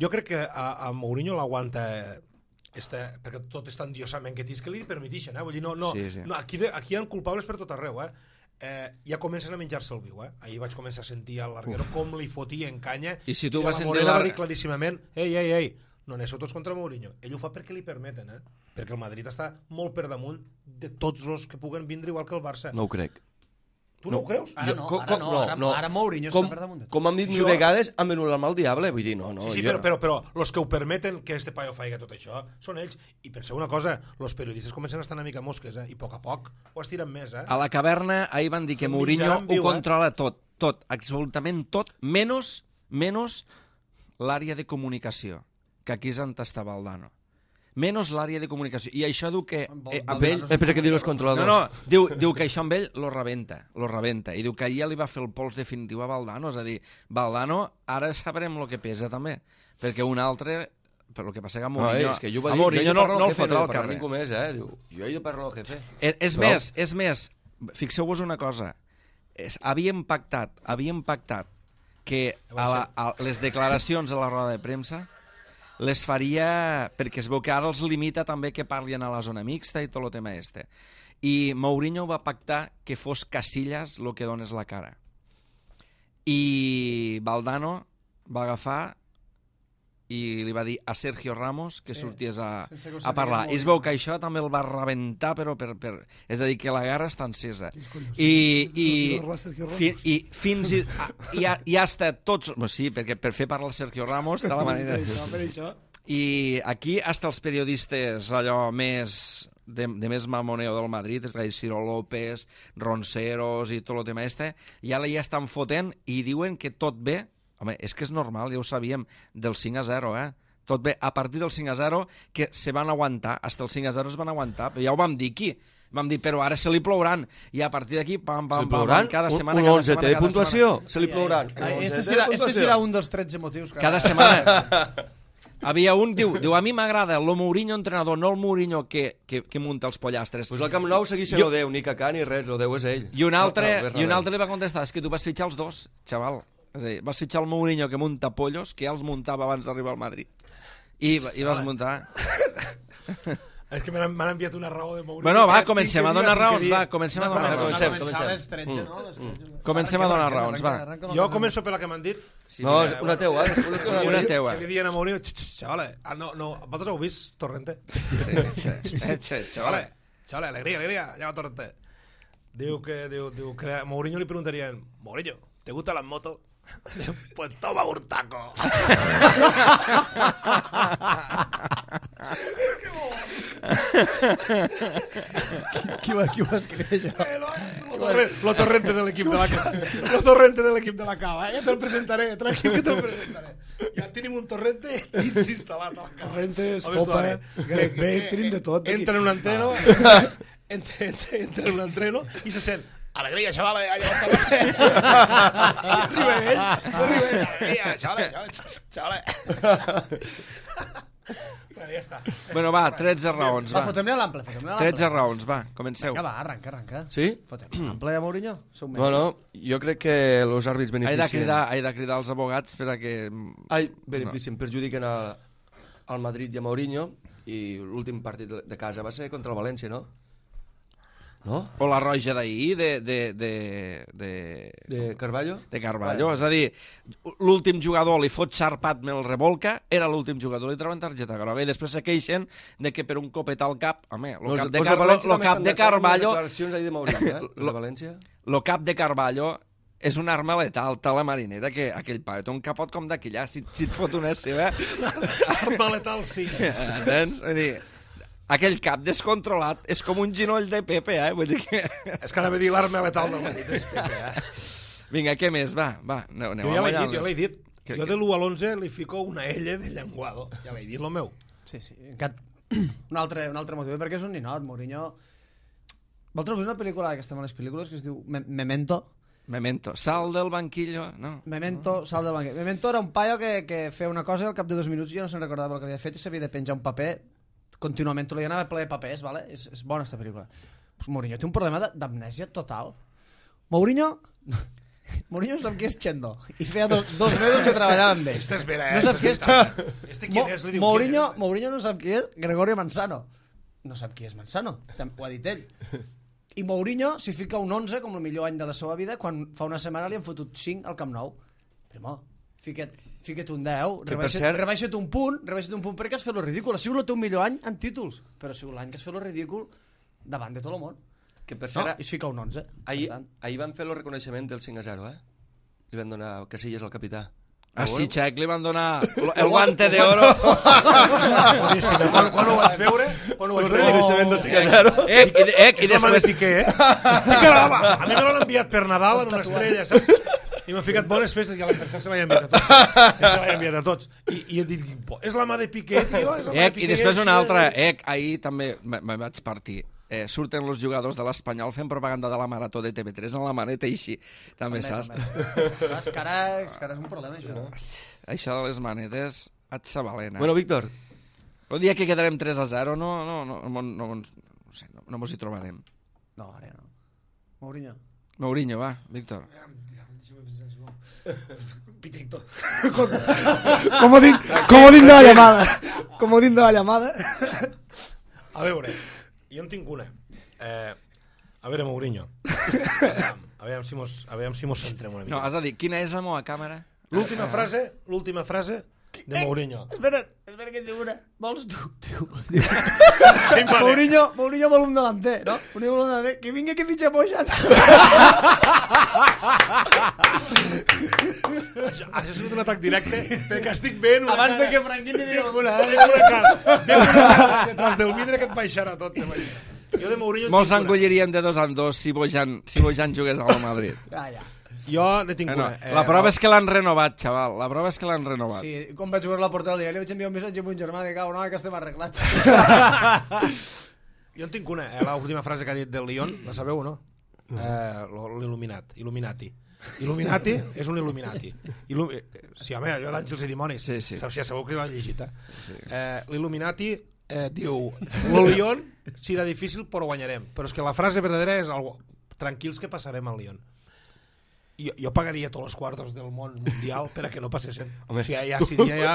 Jo crec que a, a Mourinho l'aguanta este, perquè tot és tan diosament que tens que li permetixen, eh? Vull dir, no, no, Sí, sí. no aquí, de, aquí hi ha culpables per tot arreu, eh? Eh, ja comencen a menjar-se el viu, eh? Ahir vaig començar a sentir al larguero com li fotia en canya I si tu de vas la sentir Morena la- va dir claríssimament, ei, ei, ei, no aneu tots contra Mourinho. Ell ho fa perquè li permeten, eh? Perquè el Madrid està molt per damunt de tots els que puguen vindre, igual que el Barça. No ho crec. Tu no, no ho creus? Ara no, com, ara no, ara, no, no. ara Mourinho com, està per damunt de tot. Com hem dit mil Jo- vegades, han venut l'alma al diable, vull dir, no, no. Sí, sí, jo... però, però, però los que ho permeten que este paio faci tot això són ells. I penseu una cosa, los periodistes comencen a estar una mica mosques, eh? I a poc a poc ho estiren més, eh? A la caverna ahir van dir que Són Mourinho mitjà en viu, ho eh? controla tot, tot, absolutament tot, menys, menys l'àrea de comunicació, que aquí és on està Valdano. Menys l'àrea de comunicació. I això diu que eh, amb ell... Eh, pensa que diu els No, controladors. no, diu, diu que això amb ell lo rebenta, lo rebenta. I diu que ahir ja li va fer el pols definitiu a Valdano. És a dir, Valdano, ara sabrem el que pesa també. Perquè un altre... Però el que passa que a No, Mourinho, és que jo ho va a dir, Mourinho no, no el jefe, fotrà no al he de parlar carrer. ningú més, eh? Diu, jo he de parlar al jefe. És, és Però- més, és més, fixeu-vos una cosa, és, havíem pactat, havíem pactat que a la, a les declaracions a la roda de premsa les faria, perquè es veu que ara els limita també que parlin a la zona mixta i tot el tema este. I Mourinho va pactar que fos Casillas el que dones la cara. I Valdano va agafar i li va dir a Sergio Ramos que sorties a, sense que ho a parlar. sapigués I es veu que això també el va rebentar, però per, per... És a dir, que la guerra està encesa. collons, I, Sergio i, Ramos, Sergio Ramos. fi, i fins i, a, i, ha, i hasta tots... Bueno, sí, perquè per fer parlar el Sergio Ramos de la manera... Per això, per això. I aquí hasta els periodistes allò més de, de més mamoneo del Madrid, és a dir, Ciro López, Ronceros i tot el tema este, ja la ja estan fotent i diuen que tot bé. Home, és que és normal, ja ho sabíem, del cinc a zero, eh? Tot bé, a partir del cinc a zero, que se van aguantar, hasta el cinc a zero es van aguantar, ja ho vam dir aquí. Vam dir, però ara se li plouran. I a partir d'aquí, pam, pam, Se li pam, plouran? cada Un- setmana, un cada onze setmana, de cada puntuació? setmana. Se li plouran. Un Ai, onze este de serà, este puntuació. serà un dels tretze motius. Que Cada setmana. Havia un, diu, diu a mi m'agrada el Mourinho entrenador, no el Mourinho que, que, que munta els pollastres. Pues al Camp Nou segueix sent Jo- el Déu, ni Cacà ni res, el Déu és ell. I un altre, No, no, res, i un res. altre li va contestar, és que tu vas fitxar els dos, xaval. És a dir, vas fitxar el Mourinho que munta pollos, que ja els muntava abans d'arribar al Madrid. I, i vas muntar... És que m'han m'han enviat una raó de Mourinho. Bueno, va, que comencem tinc a que dir, donar tinc que raons, dir. va, comencem a donar va, raons. comencem, començar comencem. a les tretze, no? Les tretze. Comencem a donar raons, va. Jo començo per la que m'han dit. Sí, No, mira, és una teua, eh? Una teua. Una teua. Que li diuen a Mourinho, "Ch, ch, chavales, ah, no, no, vosaltres heu vist Torrente? Chavales, chavales, alegría, alegría, llama Torrente. Diu que, diu, diu que a Mourinho li preguntarían, Mourinho, ¿te gustan las motos? Pues toma un taco. Qui va, qui va escriure això? Eh, lo, lo, torre, lo torrente de l'equip de la cava. Lo torrente de l'equip de la cava. Eh? Ja te'l presentaré, tranquil que te'l presentaré. Ja tenim un torrente dins instal·lat a la cava. Torrentes, Al vestuari. popa, grec break, tenim de tot. aquí. Entra en un entreno, entra, entra, entra en un entreno i se sent alegria, xavales, ha llevat el I arriba ell, arriba ell, alegria, xavales, xavales, xavales. Bueno, ja està. Bueno, va, tretze raons, Va, va. fotem-li a l'ample, fotem-li a l'ample. tretze raons, va, comenceu. Vinga, va, arranca, arranca. Sí? Fotem l'ample a Mourinho? Sou No, no, jo crec que els àrbits He de, beneficien... cridar, he de cridar els abogats per a que... Ai, beneficien, perjudiquen a, al Madrid i a Mourinho, i l'últim partit de- de casa va ser contra el València, no? No? O la roja d'ahir de, de, de, de, De Carballo? de Carballo. És a dir, l'últim jugador li fot xarpat, me'l revolca, era l'últim jugador, li treuen targeta groga i després se queixen de que per un copet al cap, home, el Los- cap de, los Car València lo també cap estan de d'acord amb les Carballo, declaracions ahir de Mourinho, eh? Els de València? lo cap de Carballo és una arma letal, tal la marinera, que aquell paio té un capot com d'aquella, si, si et fot una seva... Arma letal, sí. Entens? És dir, aquell cap descontrolat és com un ginoll de Pepe, eh? Vull dir que... És que anava a dir l'arma letal del Madrid, és Pepe, eh? Vinga, què més? Va, va, aneu, aneu Jo ja l'he dit, amallant-les. jo l'he dit. Que- Jo que- de l'u a l'onze li fico una L de llenguado. Ja l'he dit, lo meu. Sí, sí. Encat... Un altre, un altre motiu, perquè és un ninot, Mourinho... Vosaltres heu vist una pel·lícula que estem a les pel·lícules que es diu Me- Memento? Memento, sal del banquillo, no? Memento, sal del banquet. Memento era un paio que, que feia una cosa i al cap de dos minuts ja no se'n recordava el que havia fet i s'havia de penjar un paper contínuament, li anava ple de papers, vale? És, és bona aquesta pel·lícula. Pues Mourinho té un problema de- d'amnèsia total. Mourinho... Mourinho no sap qui és Chendo i feia dos, dos mesos que treballava amb ell. Este és vera, No eh? sap qui és Este quién és? Li diu, Mourinho, ¿quién es? Mourinho no sap qui és Gregorio Manzano. No sap qui és Manzano, tam- ho ha dit ell. I Mourinho s'hi fica un onze com el millor any de la seva vida quan fa una setmana li han fotut cinc al Camp Nou. Primo, fica't, fica't un deu, Que, per rebaixa't, cert- rebaixa't un punt, rebaixa't un punt perquè has fet lo ridícul. Ha sigut el teu millor any en títols, però ha sigut l'any que has fet lo ridícul davant de tot el món. Que per No? cert, I es fica un onze. ahir, Per tant. ahir van fer el reconeixement del cinc a zero, eh? Li van donar Casillas al capità. Ah, sí, Xec, li van donar el guante de oro. Boníssim. Quan, quan ho vaig veure... Quan ho vaig El veure... reconeixement del cinc a zero. Eh, i, eh, i És la mà de després... Piqué, eh? Sí que l'home, a mi me l'han enviat per Nadal en una estrella, saps? I m'han ficat bones festes i a l'adversari se l'han enviat a tots. Se l'han enviat a tots. I, i he dit, és la mà de Piqué, tio, és la mà de Ec, Piqué. I després una així, altra, eh? ec, ahir també me, me vaig partir. Eh, surten els jugadors de l'Espanyol fent propaganda de la Marató de T V tres en la maneta i així. També, saps? Clar, És que ara és que ara és un problema, això. Això de les manetes et s'avalena. Bueno, Víctor, El dia que quedarem tres a zero no, no, no, no, no, no, no sé, no, no mos hi trobarem. No, ara no. Mourinho. Mourinho, va, Víctor. Pitecto. Comodín, comodín de la llamada. Comodín de la llamada. A veure, jo en tinc una. Eh, a veure, Mourinho. A veure si mos, a veure si mos centrem una mica. No, has de dir, quina és la meva càmera? L'última frase, l'última frase de Mourinho. Espera, espera que et diu una. Vols tu? Diu. Vale. Mourinho, Mourinho vol un delanter, no? Mourinho vol un delanter. Que vingui que fitxa Bojan. Això, això ha sigut un atac directe perquè estic veient una Abans de cara, que Franquín li digui alguna, eh? veig una cara, veig una cara detrás del vidre que et baixarà tot. Jo de Mourinho en Molts tinc una. engolliríem de dos en dos si Bojan, si Bojan jugués al Madrid. Ja, ja. Jo ne tinc Eh, no, una. Eh, la prova és que l'han renovat, xaval. La prova és que l'han renovat. Sí, quan vaig veure la portada del diari vaig enviar un missatge a un germà de cau, no, que estem arreglats. Jo en tinc una. Eh, l'última frase que ha dit del Lyon, la sabeu o no? Eh, L'il·luminat, Illuminati. Illuminati és un Illuminati. Illu eh, sí, home, allò d'Àngels i Dimonis. Sí, sí. Saps, ja sabeu que l'han llegit, eh? eh L'Illuminati eh, diu el Lyon serà difícil però guanyarem. Però és que la frase verdadera és algo, tranquils que passarem al Lyon. Jo, jo pagaria tots els quartos del món mundial per a que no passessin. Home. O sigui, ja seria ja...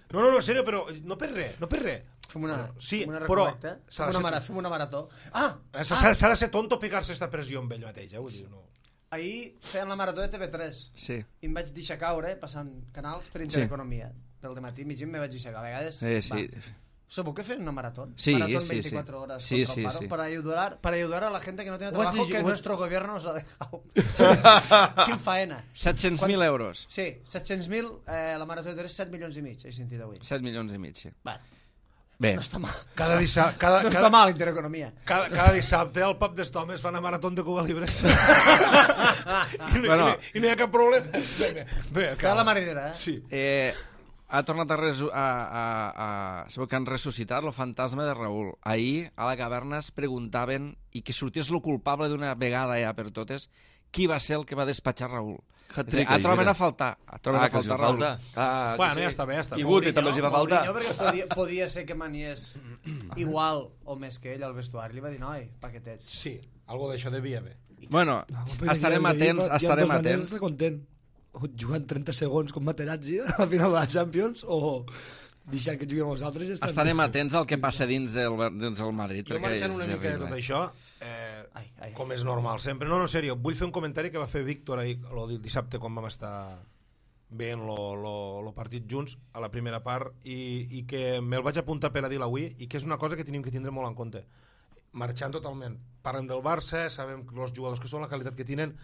No, no, no, en sèrio, però no per res, no per res. Fem una, Sí, fem una però recolecta. s'ha Fem de una, ser- mara, fem una marató. Ah, S'ha s'ha de ser tonto pegar-se aquesta pressió amb ell mateix, eh? Vull dir, no... ahir feien la marató de T V tres Sí. i em vaig deixar caure passant canals per Intereconomia. Del dematí mig me vaig deixar caure. A vegades, Sí, sí. va. ¿Sabeu que fer una maratón? Sí, maratón sí, veinticuatro sí. horas Sí, contra sí, el paro sí. Para, ayudar, para ayudar a la gente que no tiene Ho vaig trabajo llegir, que ho vaig- nuestro gobierno nos ha dejado. Sin faena. set-cents mil euros. Sí, set-cents mil, eh, la marató de tres, set milions i mig, he sentit avui. set milions i mig, sí. Bueno, Bé, no està mal. Cada, dissabte, cada, No està cada, mal, Intereconomia. cada, cada dissabte al pub d'Estomes fan una marató de Cuba Libres. I, no, Bueno. i, no, I no hi ha cap problema. Bé, bé, Queda la marinera, eh? Sí. eh, ha tornat a, resu a, a, a... Sabeu que han ressuscitat el fantasma de Raül. Ahir, a la caverna, es preguntaven, i que sortís el culpable d'una vegada ja per totes, qui va ser el que va despatxar Raül. Hat-trick, A troben mira. a faltar. A troben Ah, a que els faltar fa Raül. falta. Ah, que Bueno, sí. ja està bé, ja està bé. I Guti també els hi va faltar. Mourinho, perquè podia, podia ser que maniés igual o més que ell al vestuari. Li va dir, noi, paquetets. Sí, algo d'això devia haver. Bueno, Però estarem ja el atents, Madrid, estarem ja atents. està content. O jugant trenta segons com Materazzi a la final de la Champions o deixant que juguem els altres. Ja estan... Estarem atents al que passa dins del, dins del Madrid. Jo perquè marxant una ja mica de arriba. tot això, eh, Ai, ai, com és normal sempre. No, no, en sèrio, vull fer un comentari que va fer Víctor ahir, lo del dissabte quan vam estar veient lo, lo, lo partit junts a la primera part i, i que me'l vaig apuntar per a dir avui i que és una cosa que tenim que tindre molt en compte. Marxant totalment. Parlem del Barça, sabem els jugadors que són, la qualitat que tenen.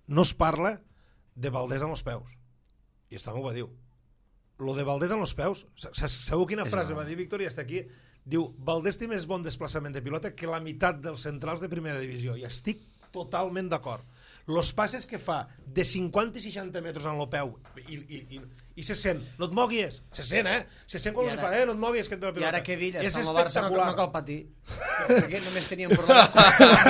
No es parla de Valdés en els peus. I això m'ho va dir. Lo de Valdés en els peus, sabeu quina frase va dir Víctor i està aquí? Diu, Valdés té més bon desplaçament de pilota que la meitat dels centrals de primera divisió. I estic totalment d'acord. Los passes que fa de cinquanta i seixanta metres en el peu i, i, i, i se sent, no et moguis, se sent, eh? Se sent quan I li ara- fa, eh? No et moguis, que et ve la I pilota. ara que Villa és està amb el Barça no, espectacular. no cal patir. Perquè només teníem problemes.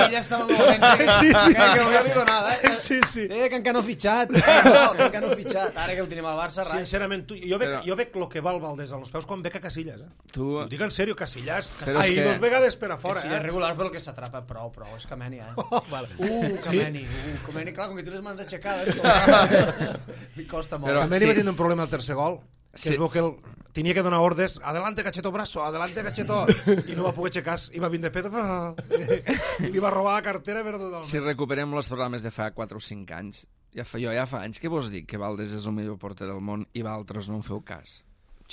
Villa estava amb el València. Sí, sí. Que, que hauria donada, eh? Sí, sí. Eh, que encara no ha fitxat. No, que encara no ha fitxat. Ara que el tenim al Barça, res. Sincerament, tu, jo, veig, Però- jo veig lo que val Valdés en els peus quan veig a Casillas, eh? Tu... Ho dic en sèrio, Casillas. Però és Ahir que- dos vegades per a Que fora, sí, eh? és regular, però el que s'atrapa prou, prou. És Kameni, eh? Oh, vale. Uh, Kameni. Uh, Kameni, clar, com que té les mans aixecades. Com... Li costa molt. Però- També sí. va tindre un problema al tercer gol, que Sí. es veu que el, tenia que donar ordres, adelante Cacheto brazo, adelante Cacheto, i no va poder aixecar, i va vindre Pedro, i li va robar la cartera, però totalment. Si recuperem els programes de fa quatre o cinc anys, ja fa, jo ja fa anys que vos dic que Valdés és el millor porter del món i vosaltres no en feu cas.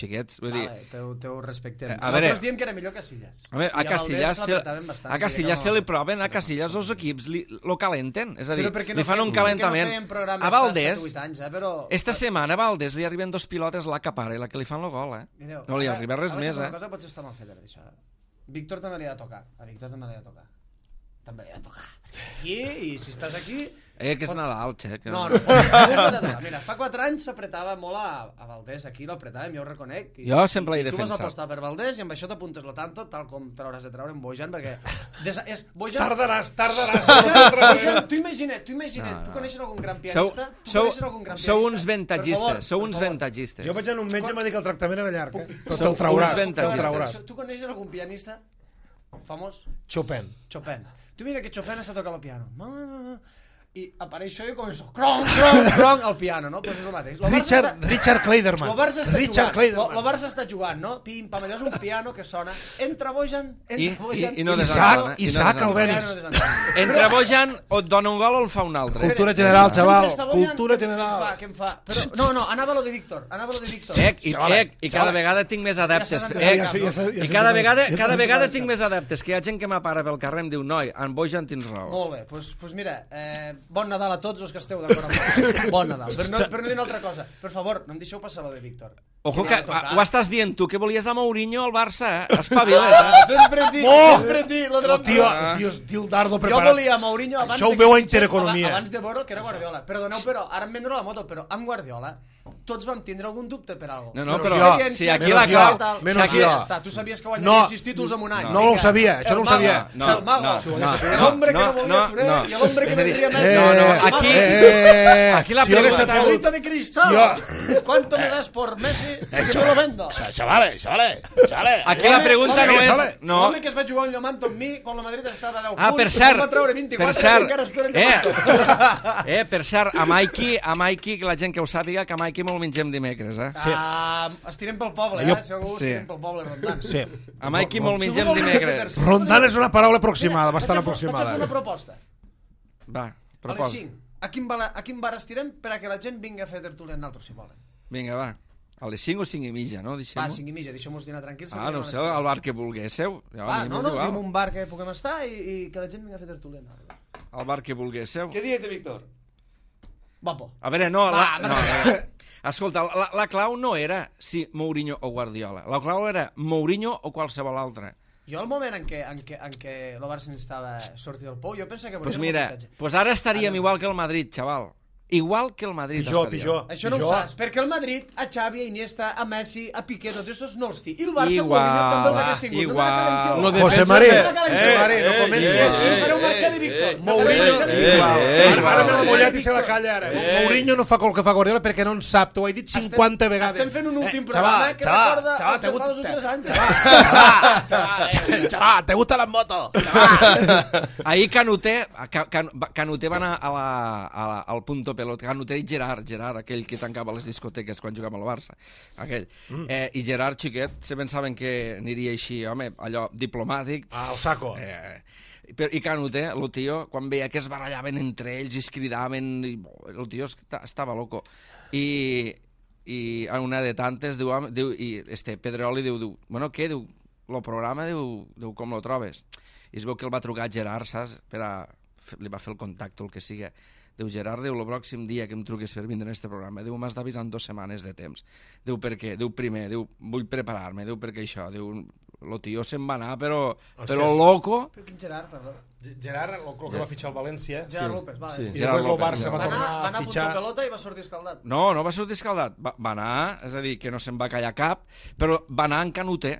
xiquets. Vull dir, Vale, teu, teu respectem. A Nosaltres veure- diem que era millor Casillas. a, veure, a I Casillas, Valdés se, l'apretaven bastant, a Casillas sí, se no- li proven, a Casillas els equips li, lo calenten, és a dir, Però per què no li fan fem- un per què no calentament. fèiem programes A fa Valdés, set o vuit anys, eh? Però... esta setmana a Valdés li arriben dos pilotes la que para i la que li fan el gol, eh? Mireu, No li ara- arriba res ara vaig més, fer eh? Una cosa potser està mal feta, per això. Víctor també li ha de tocar. A Víctor també li ha de tocar. També li ha de tocar. Aquí, i si estàs aquí... Eh, que és Nadal, xec. No, no, no, mira, fa quatre anys s'apretava molt a, a Valdés, aquí l'apretàvem, jo ho reconec. I, Jo sempre l'he i tu vas defensat. apostar per Valdés i amb això t'apuntes lo tanto, tal com te l'hauràs de treure en Bojan, perquè... Des, és, Bojan, Tardaràs, tardaràs. Bojan, Bojan, tu imagina't, tu imagina't, No, no. tu coneixes algun gran Sou, pianista? Tu sou, coneixes algun gran sou pianista? uns Per ventatgistes, favor, sou per uns favor. ventatgistes. Jo vaig anar a un metge i m'ha dit que el tractament era llarg, eh? Però Sou te'l trauràs, uns te'l ventatgistes. trauràs. Tu coneixes algun pianista famós? Chopin. Chopin. Tu mira que Chopin està tocant el piano. I apareix jo i començo cronc, cronc, cronc al piano, no? Pues és el mateix. Lo Barça Richard, està- Richard Kleiderman. Lo Barça està Richard jugant, lo, Kleiderman. lo Barça està jugant, no? Pim, pam, allò és un piano que sona. Entra Bojan, entra I- Bojan... i- i no Isaac, desentona, i no Isaac desentona. Albéniz. Entre Bojan o et dona un gol o el fa un altre. Cultura general, xaval. Sempre està Bojan, Cultura què- general. Què em fa, què em fa? Però, no, no, anava lo de Víctor, anava lo de Víctor. Ec, i, Xavala, ec, i cada xavala. vegada tinc més adeptes. Ja s'ha Ec, ja s'ha- ja s'ha- ja I s'ha cada entomat- vegada, ja cada s'ha vegada entomat tinc cap. més adeptes, que hi ha gent que m'apara pel carrer i em diu, noi, en Bojan tens raó. Molt bé, doncs pues mira, eh, bon Nadal a tots els que esteu d'acord amb mi. Bon Nadal. Per no, per no dir una altra cosa, per favor, no em deixeu passar lo de Víctor. Ojo li que ha de tocar. ho estàs dient tu, que volies a Mourinho al Barça, eh? Espavila't, eh? Sempre dic, Oh! sempre dic, lo de El la... tio, Ah. el tio, el tio el dardo Jo preparat. volia Mourinho abans Això ho de que veu a fitxés, Intereconomia. Abans de veure que era Guardiola. Perdoneu, però ara em vendré la moto, però amb Guardiola tots vam tindre algun dubte per alguna cosa. No, no, Menys però jo, si aquí menys la jo, clau... Tal, menys si aquí jo. ja està. Tu sabies que guanyaria No. sis títols en un any. No. No ho Vinga. sabia, això no ho El mago, sabia. No, el mago, no, no, el hombre que no no, volia no, Touré no. i el hombre que És a dir, vendria més. eh, No, no, El aquí... Eh, Aquí la si jo hagués pregunta- sabut- Bolita de cristal. ¿Cuánto me das por Messi? Que me lo vendo. Chavales, chavales, chavales. Aquí la pregunta no és... No. L'home que es va jugar un llomanto amb mi quan la Madrid estava a deu Ah, punts, per cert, em va treure per vint-i-quatre i cert, encara espera el eh, llomanto. eh, per cert, a Maiki, a Maiki, que la gent que ho sàpiga, que a Maiki me'l mengem dimecres, eh? Sí. Ah, estirem pel poble, Jo- eh? Segur, sí. estirem pel poble rondant. Sí. A Maiki me'l mengem Segur que vol dimecres. fer- Rondant és una paraula aproximada, Mira, bastant vaig a fer- Vaig a fer aproximada. una proposta. Va, A les proposa. cinc. A quin, bar, a quin bar estirem per a que la gent vingui a fer tertúlia amb nosaltres, si volen? Vinga, va. A les cinc o cinc i mitja, no? Va, Deixem-ho. cinc i mitja, deixem-nos dinar tranquils. Ah, no sé, al bar que vulguéssiu. Ja, Va, a mi no, m'és no, igual. diguem un bar que puguem estar i, i que la gent vingui a fer tertúlia amb nosaltres. Al bar que vulguéssiu. Què dies de Víctor? Guapo. A veure, no, la, Va, no, a veure. Escolta, la, la clau no era si Mourinho o Guardiola. La clau era Mourinho o qualsevol altre. Jo al moment en què, en què, en què el Barça estava sortir del pou, jo pensava que Doncs pues volia mira, un fitxatge. pues ara estaríem Ara no. igual que el Madrid, xaval. Igual que el Madrid Pitjor, estaríem. pitjor. Això no ho pitjor. saps, perquè el Madrid, a Xavi, a Iniesta, a Messi, a Piqué, tots estos no els té. I el Barça, Igual, Mourinho, també els hagués tingut. igual. No me la calenteu. Lo de José defensa María. de- No me la calenteu. Eh, María, no eh, comencis. Sí, eh, em fareu marxar de eh, Víctor. eh, Em fareu Mourinho, marxar de igual. Víctor. eh, Ara igual. ara me l'ha Marxar mullat de i se la Víctor. calla ara. Eh. Mourinho no fa el que fa Guardiola perquè no en sap, t'ho he dit cinquanta Estem- vegades. Estem fent un últim Eh, programa xaval, que xaval, recorda xaval, els de te fa dos o gusta- tres anys. Chaval, chaval, ¿te gustan las motos? Ahir Canuté, Ca- Can- Canuté va anar a la, a la, al punto pelot. Canuté i Gerard, Gerard, aquell que tancava les discoteques quan jugava al Barça. Aquell. Mm. Eh, I Gerard, xiquet, se pensaven que aniria així, home, allò diplomàtic. Ah, el saco. Eh, però, I Canuté, el tio, quan veia que es barallaven entre ells i es cridaven, i, el tio esta- estava loco. I, i a una de tantes, diu, home, diu i este Pedroli diu, diu, bueno, què? Diu, el programa, diu, diu, com lo trobes? I es veu que el va trucar Gerard, saps? Per a, li va fer el contacte, el que sigui. Diu, Gerard, diu, el pròxim dia que em truquis per vindre en este programa, diu, m'has d'avisar en dues setmanes de temps. Diu, per què? Diu, primer, diu, vull preparar-me, diu, perquè això, diu, el tio se'n va anar, però, però sí. loco. Però quin Gerard, perdó. Gerard, el que va fitxar el València. Gerard López, vale. Sí. Sí. I Gerard després el López, Barça Gerard va Va anar, tornar va a anar a punto fitxar... pelota i va sortir escaldat. No, no va sortir escaldat, va, va anar, és a dir, que no se'n va callar cap, però va anar en Canuté.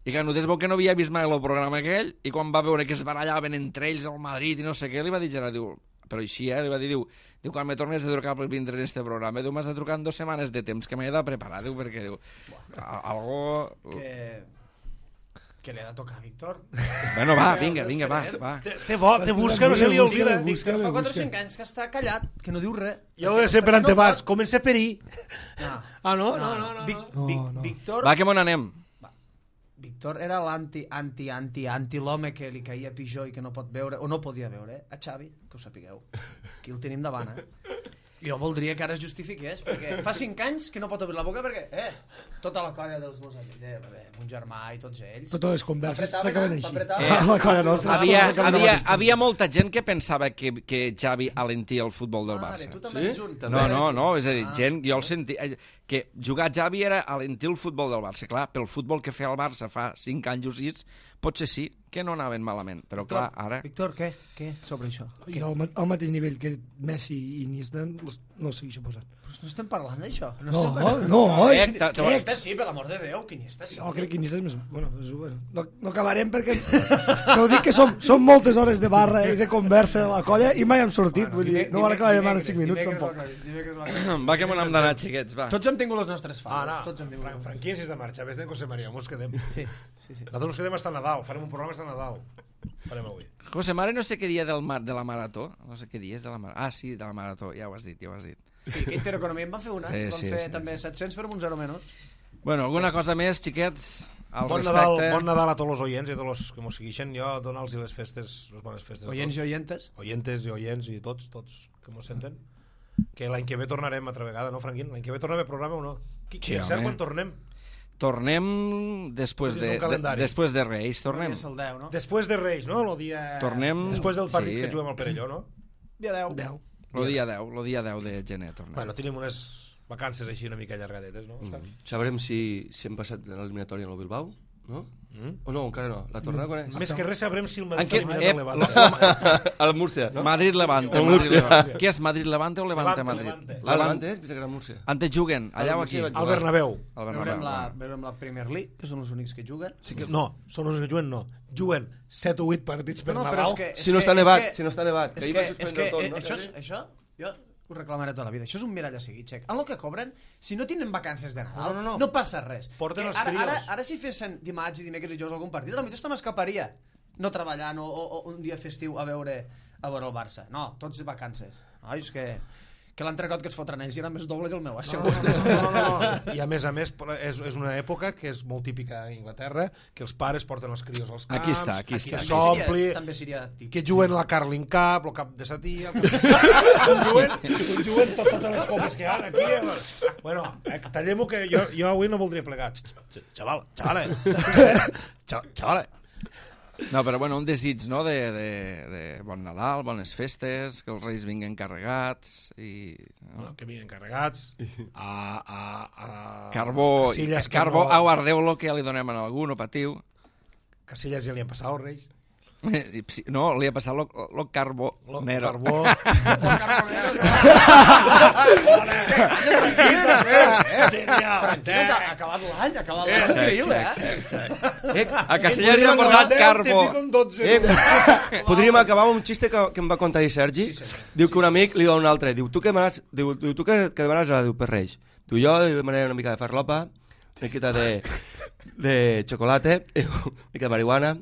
I Canuté es veu que no havia vist mai el programa aquell, i quan va veure que es barallaven entre ells al Madrid i no sé què, li va dir Gerard, diu, però així, eh, li va dir, diu, diu quan me tornes a trucar per vindre en este programa, diu, m'has de trucar en dues setmanes de temps, que m'he de preparar, diu, perquè, diu, a- algo... Que... que li ha de tocar a Víctor. Bueno, va, vinga, vinga, va, va. Té, té bo, té busca, no se li olvida. Víctor fa quatre o cinc anys que està callat, que no diu res. Jo ho he de ser per antepàs. Comença per ahir. No. Ah, no? No, no, no. Vic, no. Vic, No, no. Víctor, Va, que m'on anem? Víctor era l'anti, anti, anti, anti l'home que li caia pitjor i que no pot veure, o no podia veure, eh? A Xavi, que ho sapigueu. Aquí el tenim davant, eh? Jo voldria que ara es justifiqués, perquè fa cinc anys que no pot obrir la boca perquè, eh, tota la colla dels meus amics, eh, mon germà i tots ells... Totes les converses s'acaben així. Eh, La colla nostra. Havia, havia, havia molta gent que pensava que, que Xavi alentia el futbol del Barça. tu també ets un. No, no, no, és a dir, gent, jo el sentia... Que jugar Xavi era alentir el futbol del Barça. Clar, pel futbol que feia el Barça fa cinc anys o sis, potser sí que no anaven malament, però clar, ara... Víctor, què? Què sobre això? Jo al, al mateix nivell que Messi i Iniesta no ho segueixo posant. Però no estem parlant d'això. No, no, oi. Eh, te- te- Iniesta sí, per l'amor de Déu, que Iniesta sí. Jo crec que Iniesta és més... Bueno, és, bueno no, no acabarem perquè... T'ho dic que som, som moltes hores de barra i de conversa a la colla i mai hem sortit, vull dir, no van acabar en cinc minuts tampoc. Va que me n'hem d'anar, xiquets, va. Tots hem tingut les nostres Ah, faves. no, Tots hem tingut. Fran Franquins és de marxa, vés de José María, mos quedem. Sí, sí, sí. Nosaltres ens quedem hasta Nadal, farem un programa hasta Nadal. Farem avui. José Mare no sé què dia del mar, de la marató. No sé què dia és de la marató. Ah, sí, de la marató, ja ho has dit, ja ho has dit. Sí, que Intereconomia en va fer una, Sí, van sí, fer sí, també sí. set-cents per un zero menys. Bueno, alguna cosa més, xiquets? Al Bon respecte. Nadal, bon Nadal a tots els oients i a tots els que mos segueixen. Jo donar-los les festes, les bones festes. a Oients i tots. oientes. Oientes i oients i tots, tots que mos senten. Que l'any que ve tornarem altra vegada, no, Franquín? L'any que ve tornem a programa o no? Qui, Sí, sí, cert, home. quan tornem? Tornem després Dins de, d'un de, calendari. després de Reis, tornem. És el deu, no? Després de Reis, no? Lo dia... Tornem- Després del partit sí. que juguem al Perelló, no? Dia deu. Deu. Lo dia deu, lo dia deu de gener tornem. Bueno, tenim unes vacances així una mica allargadetes, no? Òscar? Sabrem si, si hem passat l'eliminatòria en el Bilbao, no? Mm? O no, encara no. La tornada quan és? Més que res sabrem si el En Madrid què- s'ha eliminat eh, el Levante. A la Múrcia, no? Madrid-Levante. El Madrid Múrcia. Levante. Què és Madrid-Levante o Levante-Madrid? Levante, Ah, Levante és? Pensa que era Múrcia. Antes juguen, allà o aquí? Múrcia vaig Al Bernabéu. Al Veurem Bernabéu. la, bueno. veurem la Premier League, que són els únics que juguen. Sí que, no, són els que juguen, no. Juguen set o vuit partits per No, però Nadal. és que... és Si no que- està és nevat, que- si no està nevat. És Que ahir que, van és suspendre que tot, eh, no? això, és, això, jo ho reclamaré tota la vida. Això és un mirall a seguir, xec. En el que cobren, si no tenen vacances de Nadal, No, no, no. no passa res. Porten Que els ara, crios. ara, ara si fessin dimarts i dimecres i dijous algun partit, potser hasta m'escaparia no treballant o, o, o un dia festiu a veure a veure el Barça. No, tots de vacances. No, és que, que l'entrecot que es fotran ells era més doble que el meu. Eh? No, no, no, no, no. I a més a més és, és una època que és molt típica a Inglaterra, que els pares porten els crios als camps, Aquí està, aquí està. s'ompli, També seria típic. que juguen la Carling Cup, el cap de satia, juguen, juguen tot, totes les copes que hi ha aquí. eh. Bueno, eh, tallem-ho que jo, jo avui no voldria plegar. Ch, ch, Xaval, xavale, Xa- xavale. No, però bueno, un desig, no?, de, de, de bon Nadal, bones festes, que els reis vinguin carregats i... No? Bueno, que vinguen carregats a, a, a Carbó, Casillas, que carbó, no- au, ardeu-lo, que ja li donem a algú, no patiu. Casillas ja li han passat els reis. No, li ha passat lo, lo carbó Lo, nero. carbó. Tranquil, que ha acabat l'any, ha acabat l'any. Increïble, eh? A Castellers li han portat carbó. Eh, podríem acabar amb un xiste que, que em va contar ahir Sergi. Diu que un amic li dona un altre. Diu, tu què demanes? Diu, diu tu què, què demanes? Ah, diu, per Reis. Diu, jo demanaré una mica de farlopa, una miqueta de, de xocolate, diu, una mica de marihuana,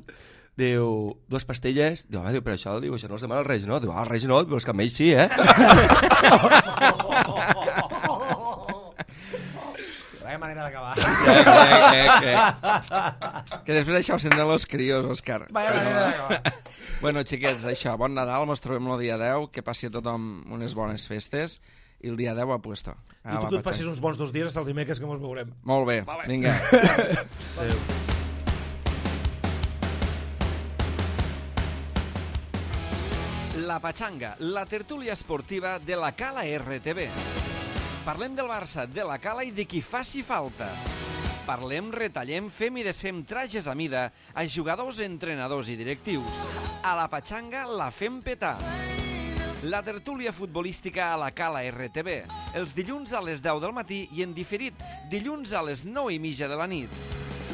diu, dues pastilles. Diu, home, diu, però això, diu, això no els demana els Reis, no? Diu, ah, els Reis no, però els camells sí, eh? Vaya manera d'acabar. Crec, crec, crec. Que després això ho senten los crios, Òscar. Vaya manera d'acabar. Bueno, xiquets, això, bon Nadal, mos trobem el dia deu, que passi a tothom unes bones festes, i el dia deu a puesto. I tu que et passis uns bons dos dies hasta els dimecres que mos veurem. Molt bé, Vale. vinga. La Pachanga, la tertúlia esportiva de la Cala R T V. Parlem del Barça, de la Cala i de qui faci falta. Parlem, retallem, fem i desfem trajes a mida a jugadors, entrenadors i directius. A la Pachanga la fem petar. La tertúlia futbolística a la Cala R T V, els dilluns a les deu del matí i en diferit, dilluns a les nou i mitja de la nit.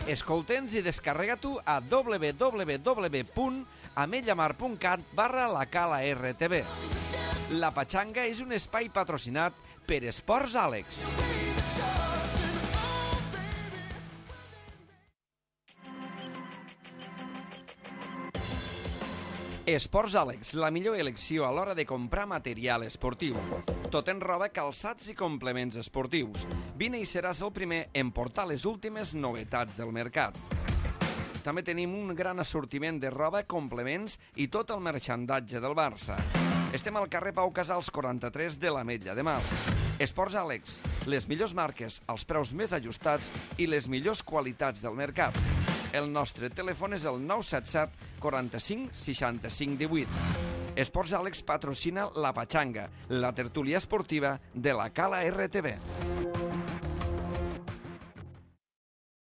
Escolta'ns i descarrega-t'ho a w w w punt amellamar punt cat barra la Cala R T V. La Pachanga és un espai patrocinat per Esports Àlex. Esports Àlex, la millor elecció a l'hora de comprar material esportiu. Tot en roba, calçats i complements esportius. Vine i seràs el primer en portar les últimes novetats del mercat. També tenim un gran assortiment de roba, complements i tot el merchandatge del Barça. Estem al carrer Pau Casals quaranta-tres de l'Ametlla de Mar. Esports Àlex, les millors marques, els preus més ajustats i les millors qualitats del mercat. El nostre telèfon és el nou set set quaranta-cinc seixanta-cinc divuit. Esports Àlex patrocina La Pachanga, la tertúlia esportiva de la Cala R T V.